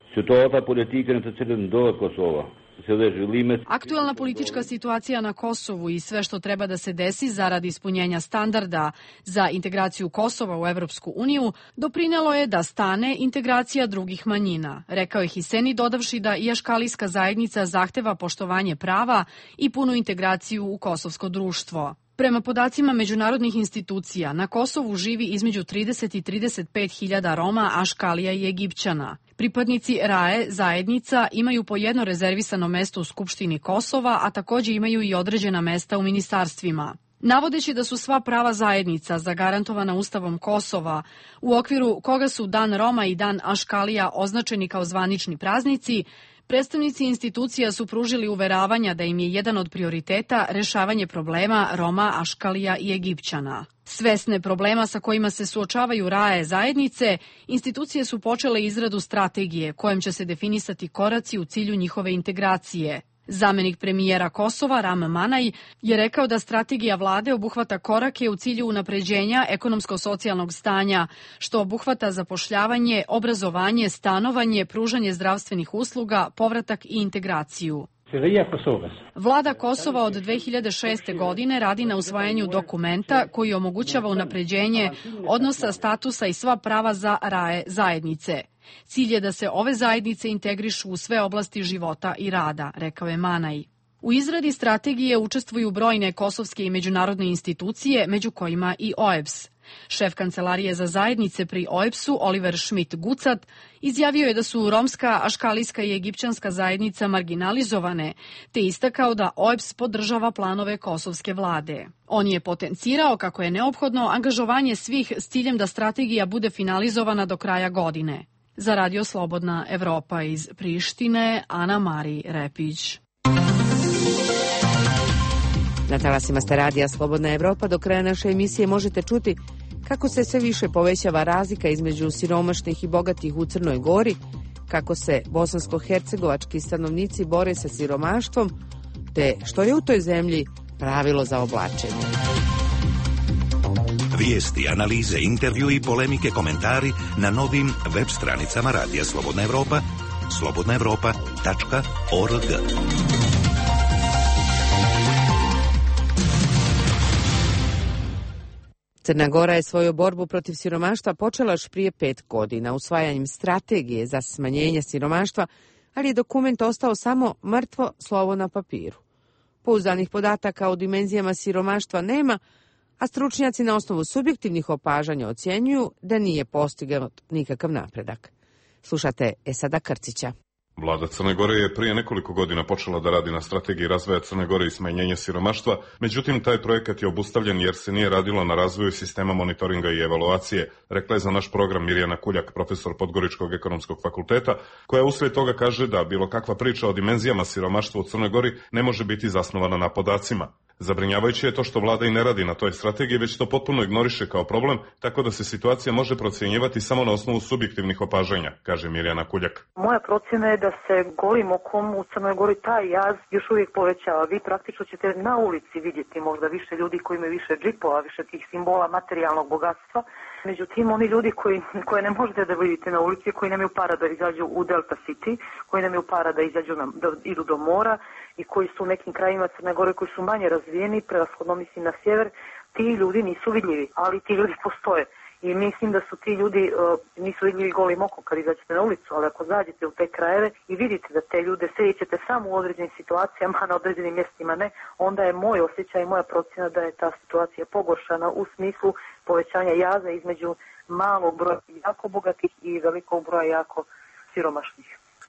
Aktuelna politička situacija na Kosovu i sve što treba da se desi zaradi ispunjenja standarda za integraciju Kosova u Evropsku uniju doprinelo je da stane integracija drugih manjina, rekao je Hiseni, dodavši da i aškalijska zajednica zahteva poštovanje prava i punu integraciju u kosovsko društvo. Prema podacima međunarodnih institucija, na Kosovu živi između 30 i 35 hiljada Roma, Aškalija i Egipćana. Pripadnici RAE zajednica imaju po jedno rezervisano mesto u Skupštini Kosova, a takođe imaju i određena mesta u ministarstvima. Navodeći da su sva prava zajednica zagarantovana Ustavom Kosova, u okviru koga su Dan Roma i Dan Aškalija označeni kao zvanični praznici, predstavnici institucija su pružili uveravanja da im je jedan od prioriteta rešavanje problema Roma, Aškalija i Egipćana. Svesne problema sa kojima se suočavaju RAE zajednice, institucije su počele izradu strategije kojom će se definisati koraci u cilju njihove integracije. Zamenik premijera Kosova Ram Manaj je rekao da strategija vlade obuhvata korake u cilju unapređenja ekonomsko-socijalnog stanja, što obuhvata zapošljavanje, obrazovanje, stanovanje, pružanje zdravstvenih usluga, povratak i integraciju. Vlada Kosova od 2006. godine radi na usvajanju dokumenta koji omogućava unapređenje odnosa, statusa i sva prava za RAE zajednice. Cilj je da se ove zajednice integrišu u sve oblasti života i rada, rekao je Manaj. U izradi strategije učestvuju brojne kosovske i međunarodne institucije, među kojima i OEBS. Šef Kancelarije za zajednice pri OEBS-u, Oliver Schmidt-Gucat, izjavio je da su romska, aškalijska i egipćanska zajednica marginalizovane, te istakao da OEBS podržava planove kosovske vlade. On je potencirao kako je neophodno angažovanje svih s ciljem da strategija bude finalizovana do kraja godine. Za Radio Slobodna Evropa iz Prištine, Ana Mari Repić. Na talasima ste radija Slobodna Evropa. Do kraja naše emisije možete čuti kako se sve više povećava razlika između siromašnih i bogatih u Crnoj Gori, kako se bosansko-hercegovački stanovnici bore sa siromaštvom, te što je u toj zemlji pravilo za oblačenje. Vijesti, analize, intervju i polemike, komentari na novim web stranicama Radija Slobodna Evropa, slobodnaevropa.org. Crna Gora je svoju borbu protiv siromaštva počela još prije 5 godina usvajanjem strategije za smanjenje siromaštva, ali je dokument ostao samo mrtvo slovo na papiru. Pouzdanih podataka o dimenzijama siromaštva nema, a stručnjaci na osnovu subjektivnih opažanja ocjenjuju da nije postignut nikakav napredak. Slušate Esada Krcića. Vlada Crne Gore je prije nekoliko godina počela da radi na strategiji razvoja Crne Gore i smanjenja siromaštva, međutim taj projekat je obustavljen jer se nije radilo na razvoju sistema monitoringa i evaluacije, rekla je za naš program Mirjana Kuljak, profesor Podgoričkog ekonomskog fakulteta, koja uslijed toga kaže da bilo kakva priča o dimenzijama siromaštva u Crnoj Gori ne može biti zasnovana na podacima. Zabrinjavajuće je to što vlada i ne radi na toj strategiji, već to potpuno ignoriše kao problem, tako da se situacija može procjenjivati samo na osnovu subjektivnih opažanja, kaže Mirjana Kuljak. Moja procjena je da se golim okom u Crnoj Gori taj jaz još uvijek povećava. Vi praktično ćete na ulici vidjeti možda više ljudi koji imaju više džipova, više tih simbola materijalnog bogatstva. Međutim, oni ljudi koje ne možete da vidite na ulici, koji nemaju para da izađu u Delta City, koji nemaju para da idu do mora i koji su u nekim krajima Crne Gore koji su manje razvijeni, prevashodno mislim na sjever, ti ljudi nisu vidljivi, ali ti ljudi postoje. I mislim da su ti ljudi nisu vidljivi golim okom kad izađete na ulicu, ali ako zađete u te krajeve i vidite da te ljude srećete samo u određenim situacijama, a na određenim mjestima ne, onda je moj osjećaj i moja procjena da je ta situacija pogoršana u smislu povećanja jaza između malog broja jako bogatih i velikog broja jako siromašnih.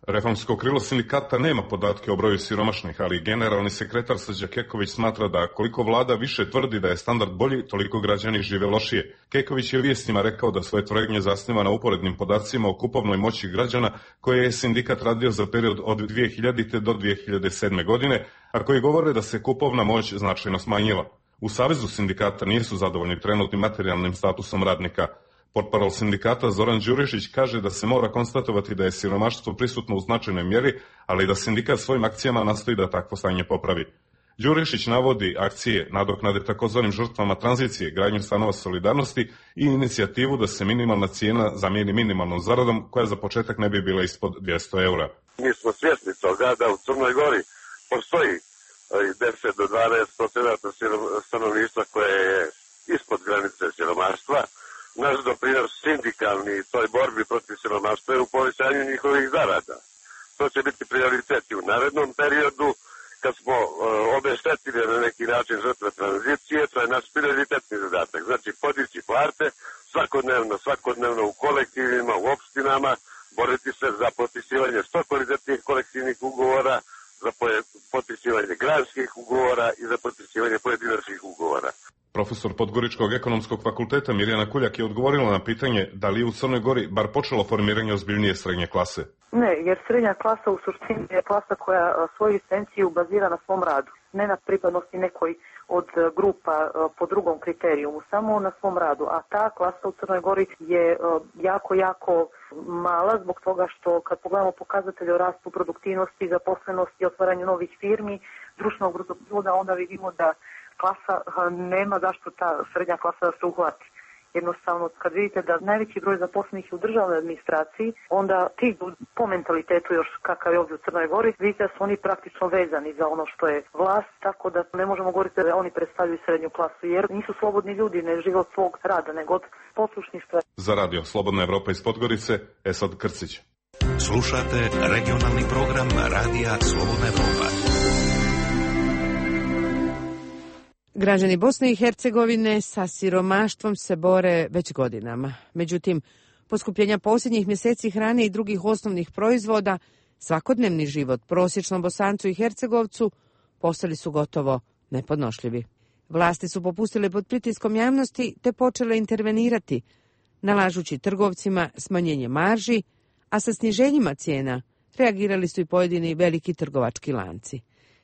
Reformsko krilo sindikata nema podatke o broju siromašnih, ali generalni sekretar Srđa Keković smatra da koliko vlada više tvrdi da je standard bolji, toliko građani žive lošije. Keković je vijestima rekao da svoje tvrdnje zasniva na uporednim podacima o kupovnoj moći građana koje je sindikat radio za period od 2000. do 2007. godine, a koji govore da se kupovna moć značajno smanjila. U Savezu sindikata nisu zadovoljni trenutnim materijalnim statusom radnika. Portparol sindikata Zoran Đurišić kaže da se mora konstatovati da je siromaštvo prisutno u značajnoj mjeri, ali da sindikat svojim akcijama nastoji da takvo stanje popravi. Đurišić navodi akcije nadoknade takozvanim žrtvama tranzicije, gradnju stanova solidarnosti i inicijativu da se minimalna cijena zamijeni minimalnom zaradom koja za početak ne bi bila ispod 200 eura. Mi smo svjesni toga da u Crnoj Gori postoji 10 do 12% stanovništva koje je ispod granice siromaštva. Naš doprinos sindikalni toj borbi protiv siromaštva je u povećanju njihovih zarada. To će biti prioritet u narednom periodu kad smo obeštetili na neki način žrtve tranzicije. To je naš prioritetni zadatak. Znači podići plate svakodnevno u kolektivima, u opštinama, boriti se za potpisivanje što kvalitetnih kolektivnih ugovora, za potpisivanje granskih ugovora i za potpisivanje pojedinačnih ugovora. Profesor Podgoričkog ekonomskog fakulteta Mirjana Kuljak je odgovorila na pitanje da li je u Crnoj Gori bar počelo formiranje ozbiljnije srednje klase. Ne, jer srednja klasa u suštini je klasa koja svoju egzistenciju bazira na svom radu, ne na pripadnosti nekoj od grupa po drugom kriterijumu, samo na svom radu. A ta klasa u Crnoj Gori je jako mala zbog toga što kad pogledamo pokazatelje o rastu produktivnosti, zaposlenosti, otvaranju novih firmi, društvenog bruto proizvoda, onda vidimo da klasa nema zašto ta srednja klasa da se uhvati. Jednostavno, kad vidite da najveći broj zaposlenih je u državnoj administraciji, onda ti po mentalitetu još kakav je ovdje u Crnoj Gori, vidite da su oni praktično vezani za ono što je vlast, tako da ne možemo govoriti da oni predstavljaju srednju klasu, jer nisu slobodni ljudi, ne žive od svog rada, nego od poslušništva. Za radio Slobodna Evropa iz Podgorice, Esad Krcić. Slušate regionalni program Radija Slobodna Evropa. Građani Bosne i Hercegovine sa siromaštvom se bore već godinama. Međutim, poskupljenja posljednjih mjeseci hrane i drugih osnovnih proizvoda, svakodnevni život prosječnom Bosancu i Hercegovcu postali su gotovo nepodnošljivi. Vlasti su popustile pod pritiskom javnosti te počele intervenirati, nalažući trgovcima smanjenje marži, a sa sniženjima cijena reagirali su i pojedini veliki trgovački lanci.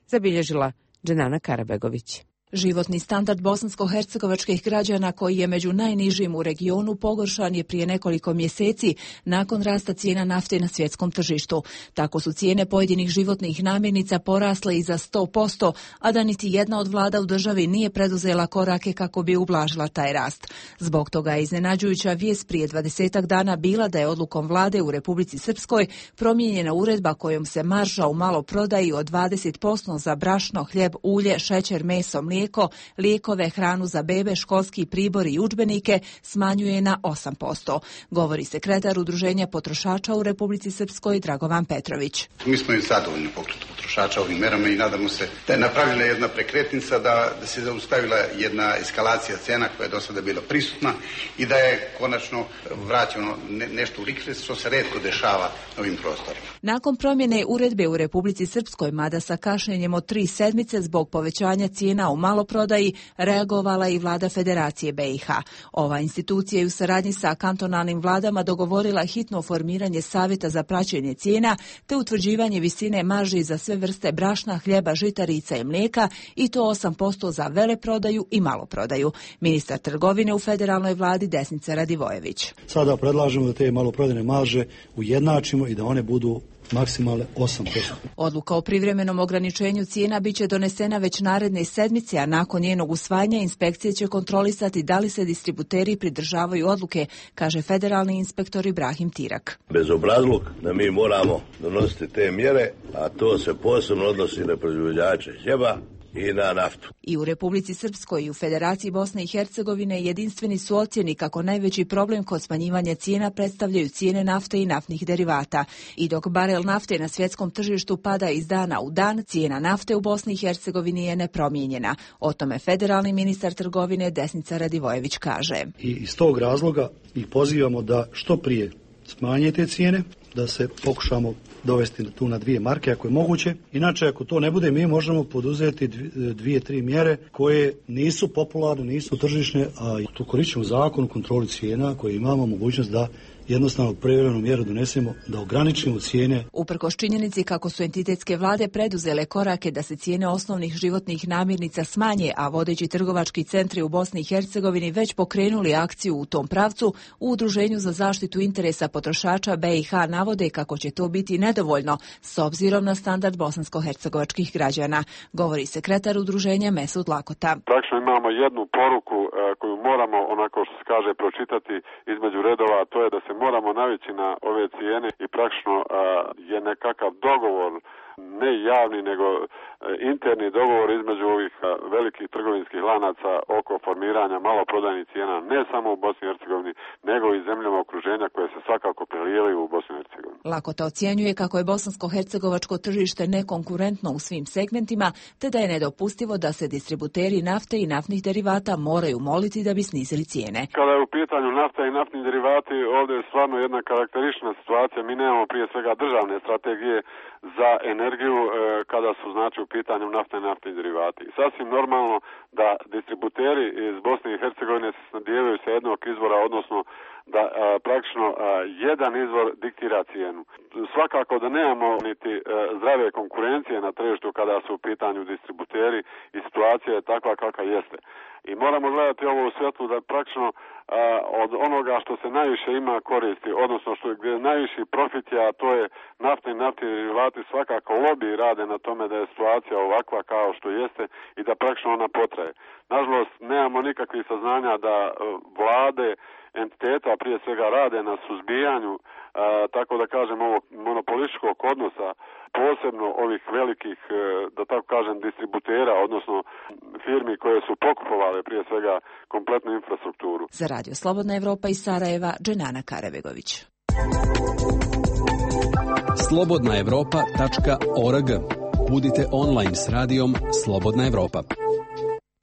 Zabilježila Dženana Karabegović. Životni standard bosansko-hercegovačkih građana, koji je među najnižim u regionu, pogoršan je prije nekoliko mjeseci nakon rasta cijena nafte na svjetskom tržištu. Tako su cijene pojedinih životnih namirnica porasle i za 100%, a da niti jedna od vlada u državi nije preduzela korake kako bi ublažila taj rast. Zbog toga je iznenađujuća vijest prije 20 dana bila da je odlukom vlade u Republici Srpskoj promijenjena uredba kojom se marža u maloprodaji od 20% za brašno, hljeb, ulje, šećer, meso, mlijeko, lijekove, hranu za bebe, školski pribor i udžbenike smanjuje na 8%, govori sekretar Udruženja potrošača u Republici Srpskoj Dragovan Petrović. Mi smo i zadovoljni pokretu potrošača ovim merama i nadamo se da je napravljena jedna prekretnica, da se zaustavila jedna eskalacija cena koja je do sada bila prisutna i da je konačno vraćeno nešto u likvidnost, što se retko dešava na ovim prostorima. Nakon promjene uredbe u Republici Srpskoj, mada sa kašnjenjem od 3 sedmice zbog povećanja cijena u maloprodaji, reagovala i vlada Federacije BiH. Ova institucija je u saradnji sa kantonalnim vladama dogovorila hitno formiranje savjeta za praćenje cijena te utvrđivanje visine marži za sve vrste brašna, hljeba, žitarica i mlijeka, i to 8% za veleprodaju i maloprodaju. Ministar trgovine u federalnoj vladi Desnica Radivojević. Sada predlažemo da te maloprodajne marže ujednačimo i da one budu maksimalne 8%. Odluka o privremenom ograničenju cijena biće donesena već naredne sedmice, a nakon njenog usvajanja inspekcije će kontrolisati da li se distributeri pridržavaju odluke, kaže federalni inspektor Ibrahim Tirak. Bezobrazluk da mi moramo donositi te mjere, a to se posebno odnosi na proizvođače hljeba i na naftu. I u Republici Srpskoj i u Federaciji Bosne i Hercegovine jedinstveni su ocjeni kako najveći problem kod smanjivanja cijena predstavljaju cijene nafte i naftnih derivata. I dok barel nafte na svjetskom tržištu pada iz dana u dan, cijena nafte u Bosni i Hercegovini je nepromijenjena. O tome federalni ministar trgovine Desnica Radivojević kaže. I iz tog razloga ih pozivamo da što prije smanje te cijene, da se pokušamo dovesti tu na 2 marke ako je moguće. Inače, ako to ne bude, mi možemo poduzeti 2-3 mjere koje nisu popularne, nisu tržišne, a tu koristimo zakon o kontroli cijena koji imamo mogućnost da jednostavno privremenu mjeru donesemo, da ograničimo cijene. Uprkos činjenici kako su entitetske vlade preduzele korake da se cijene osnovnih životnih namirnica smanje, a vodeći trgovački centri u Bosni i Hercegovini već pokrenuli akciju u tom pravcu, u Udruženju za zaštitu interesa potrošača BiH navode kako će to biti nedovoljno s obzirom na standard bosansko-hercegovačkih građana, govori sekretar udruženja Mesud Lakota. Praktično imamo jednu poruku koju moramo, onako što se kaže, pročitati između redova, a to je da se moramo navići na ove cijene i praktično je nekakav dogovor, ne javni nego interni dogovor između ovih velikih trgovinskih lanaca oko formiranja maloprodajnih cijena ne samo u Bosni i Hercegovini nego i zemljama okruženja koje se svakako prelijevaju u Bosni i Hercegovini. Lakota ocjenjuje kako je bosansko-hercegovačko tržište nekonkurentno u svim segmentima, te da je nedopustivo da se distributeri nafte i naftnih derivata moraju moliti da bi snizili cijene. Kada je u pitanju nafta i naftni derivati, ovdje je stvarno jedna karakteristična situacija. Mi nemamo prije svega državne strategije za energiju kada su znači u pitanju nafta i naftni derivati. I sasvim normalno da distributeri iz Bosne i Hercegovine se snabdijevaju sa jednog izvora, odnosno da praktično jedan izvor diktira cijenu. Svakako da nemamo niti zdrave konkurencije na tržištu kada su u pitanju distributeri i situacija je takva kakva jeste. I moramo gledati ovo u svjetlu da praktično od onoga što se najviše ima koristi, odnosno što je najviši profit, a to je nafta i naftni derivati, svakako lobiji rade na tome da je situacija ovakva kao što jeste i da praktično ona potraje. Nažalost, nemamo nikakvih saznanja da vlade entiteta prije svega rade na suzbijanju, tako da kažem, ovog monopolističkog odnosa, posebno ovih velikih, da tako kažem, distributera, odnosno firmi koje su pokupovale prije svega kompletnu infrastrukturu. Za Radio Slobodna Evropa iz Sarajeva, Dženana Karebegović. slobodnaevropa.org. Budite online s radijom Slobodna Evropa.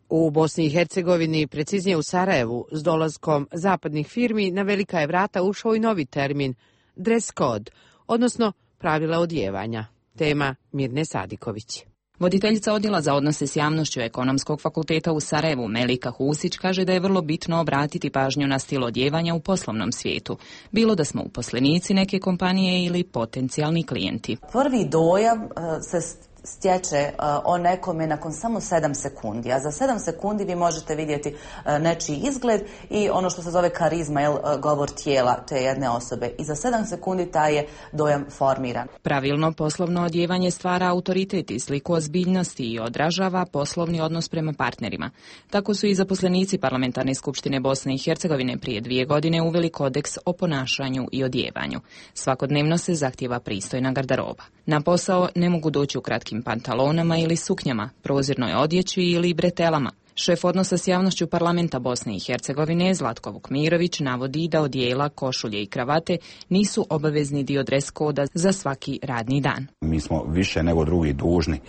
U Bosni i Hercegovini, preciznije u Sarajevu, s dolaskom zapadnih firmi na velika je vrata ušao i novi termin dress code, odnosno pravila odjevanja. Tema Mirne Sadiković. Voditeljica odjela za odnose s javnošću Ekonomskog fakulteta u Sarajevu, Melika Husić, kaže da je vrlo bitno obratiti pažnju na stil odjevanja u poslovnom svijetu, bilo da smo uposlenici neke kompanije ili potencijalni klijenti. Prvi dojam se stječe o nekome nakon samo 7 sekundi, a za 7 sekundi vi možete vidjeti nečiji izgled i ono što se zove karizma, govor tijela te jedne osobe. I za 7 sekundi taj je dojam formiran. Pravilno poslovno odjevanje stvara autoritet i sliku ozbiljnosti i odražava poslovni odnos prema partnerima. Tako su i zaposlenici Parlamentarne skupštine Bosne i Hercegovine prije 2 godine uveli kodeks o ponašanju i odjevanju. Svakodnevno se zahtijeva pristojna garderoba. Na posao ne mogu doći u kratkim pantalonama ili suknjama, prozirnoj odjeći ili bretelama. Šef odnosa s javnošću Parlamenta Bosne i Hercegovine Zlatko Vukmirović navodi da odijela, košulje i kravate nisu obavezni dio dres koda za svaki radni dan. Mi smo više nego drugi dužni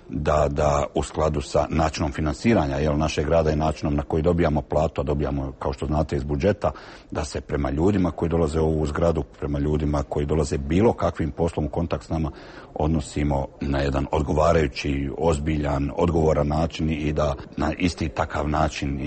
da u skladu sa načinom finansiranja našeg rada i načinom na koji dobijamo platu, a dobijamo, kao što znate, iz budžeta, da se prema ljudima koji dolaze u ovu zgradu, prema ljudima koji dolaze bilo kakvim poslom u kontakt s nama, odnosimo na jedan odgovarajući, ozbiljan, odgovoran način i da na isti takav način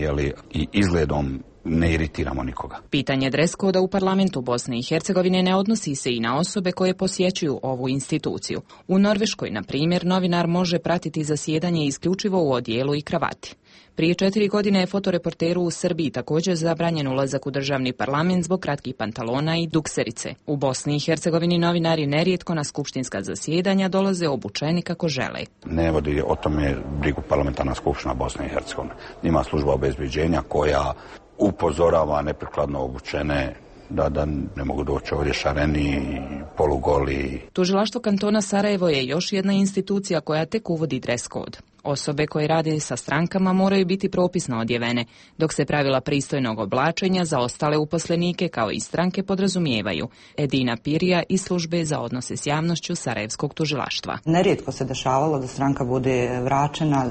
i izgledom ne iritiramo nikoga. Pitanje dres koda u Parlamentu Bosne i Hercegovine ne odnosi se i na osobe koje posjećuju ovu instituciju. U Norveškoj, na primjer, novinar može pratiti zasjedanje isključivo u odijelu i kravati. Prije 4 godine je fotoreporteru u Srbiji također zabranjen ulazak u državni parlament zbog kratkih pantalona i dukserice. U Bosni i Hercegovini novinari nerijetko na skupštinska zasjedanja dolaze obučeni kako žele. Ne vodi o tome brigu Parlamentarna skupština Bosne i Hercegovine. Ima služba obezbeđenja koja upozorava neprikladno obučene da ne mogu doći ovdje šareni, polugoli. Tužilaštvo kantona Sarajevo je još jedna institucija koja tek uvodi dres kod. Osobe koje rade sa strankama moraju biti propisno odjevene, dok se pravila pristojnog oblačenja za ostale uposlenike kao i stranke podrazumijevaju. Edina Pirija iz službe za odnose s javnošću Sarajevskog tužilaštva. Nerijetko se dešavalo da stranka bude vraćena,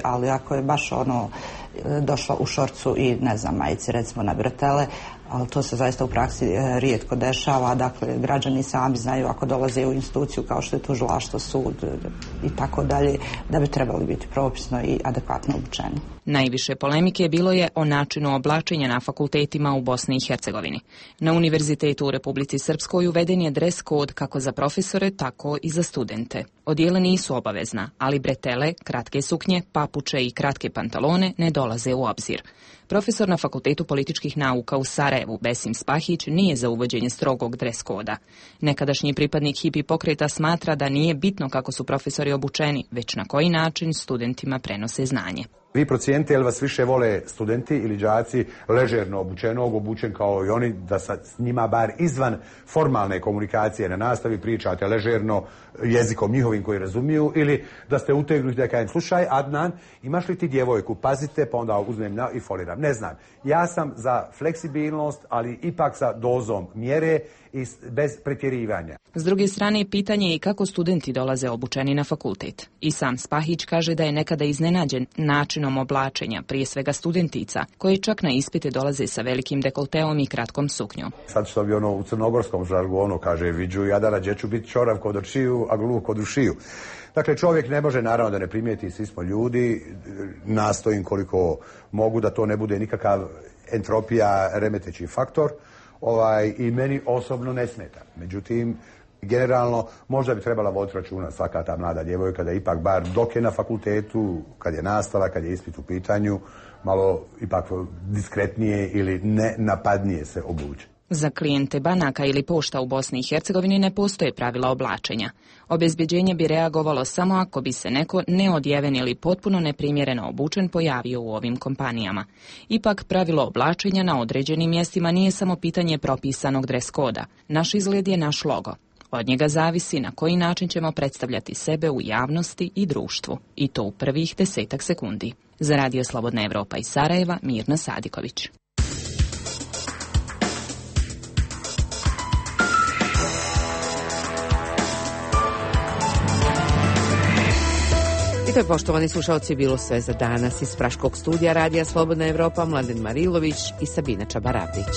ali ako je baš došla u šorcu i majici, recimo na bretele, ali to se zaista u praksi rijetko dešava. Građani sami znaju ako dolaze u instituciju kao što je tužilaštvo, sud i tako dalje, da bi trebali biti propisno i adekvatno obučeni. Najviše polemike bilo je o načinu oblačenja na fakultetima u Bosni i Hercegovini. Na Univerzitetu u Republici Srpskoj uveden je dres kod kako za profesore, tako i za studente. Odijela nisu obavezna, ali bretele, kratke suknje, papuče i kratke pantalone ne dolaze u obzir. Profesor na Fakultetu političkih nauka u Sarajevu, Besim Spahić, nije za uvođenje strogog dres koda. Nekadašnji pripadnik hipi pokreta smatra da nije bitno kako su profesori obučeni, već na koji način studentima prenose znanje. Vi procijenite jel vas više vole studenti ili đaci ležerno obučen kao i oni, da s njima bar izvan formalne komunikacije na nastavi pričate ležerno jezikom njihovim koji razumiju, ili da ste utegnuti da kažem slušaj Adnan, imaš li ti djevojku, pazite, pa onda uzmem i foliram. Ne znam, ja sam za fleksibilnost, ali ipak sa dozom mjere i bez pretjerivanja. S druge strane, pitanje je i kako studenti dolaze obučeni na fakultet. I sam Spahić kaže da je nekada iznenađen načinom oblačenja, prije svega studentica, koji čak na ispite dolaze sa velikim dekolteom i kratkom suknjom. Sad što bi u crnogorskom žargonu kaže viđu jadara gdje ću biti čorav kod očiju, a gluh kod ušiju. Dakle, čovjek ne može, naravno da ne primijeti, svi smo ljudi, nastojim koliko mogu da to ne bude nikakav entropija, remeteći faktor, i meni osobno ne smeta. Međutim, generalno, možda bi trebala voditi računa svaka ta mlada djevojka da ipak bar dok je na fakultetu, kad je nastava, kad je ispit u pitanju, malo ipak diskretnije ili ne napadnije se obuče. Za klijente banaka ili pošta u Bosni i Hercegovini ne postoje pravila oblačenja. Obezbeđenje bi reagovalo samo ako bi se neko neodjeven ili potpuno neprimjereno obučen pojavio u ovim kompanijama. Ipak, pravilo oblačenja na određenim mjestima nije samo pitanje propisanog dres koda. Naš izgled je naš logo. Od njega zavisi na koji način ćemo predstavljati sebe u javnosti i društvu. I to u prvih 10 sekundi. Za Radio Slobodna Evropa iz Sarajeva, Mirna Sadiković. I to je, poštovani slušalci, bilo sve za danas iz Praškog studija Radija Slobodna Evropa. Mladen Marilović i Sabina Čabaravdić.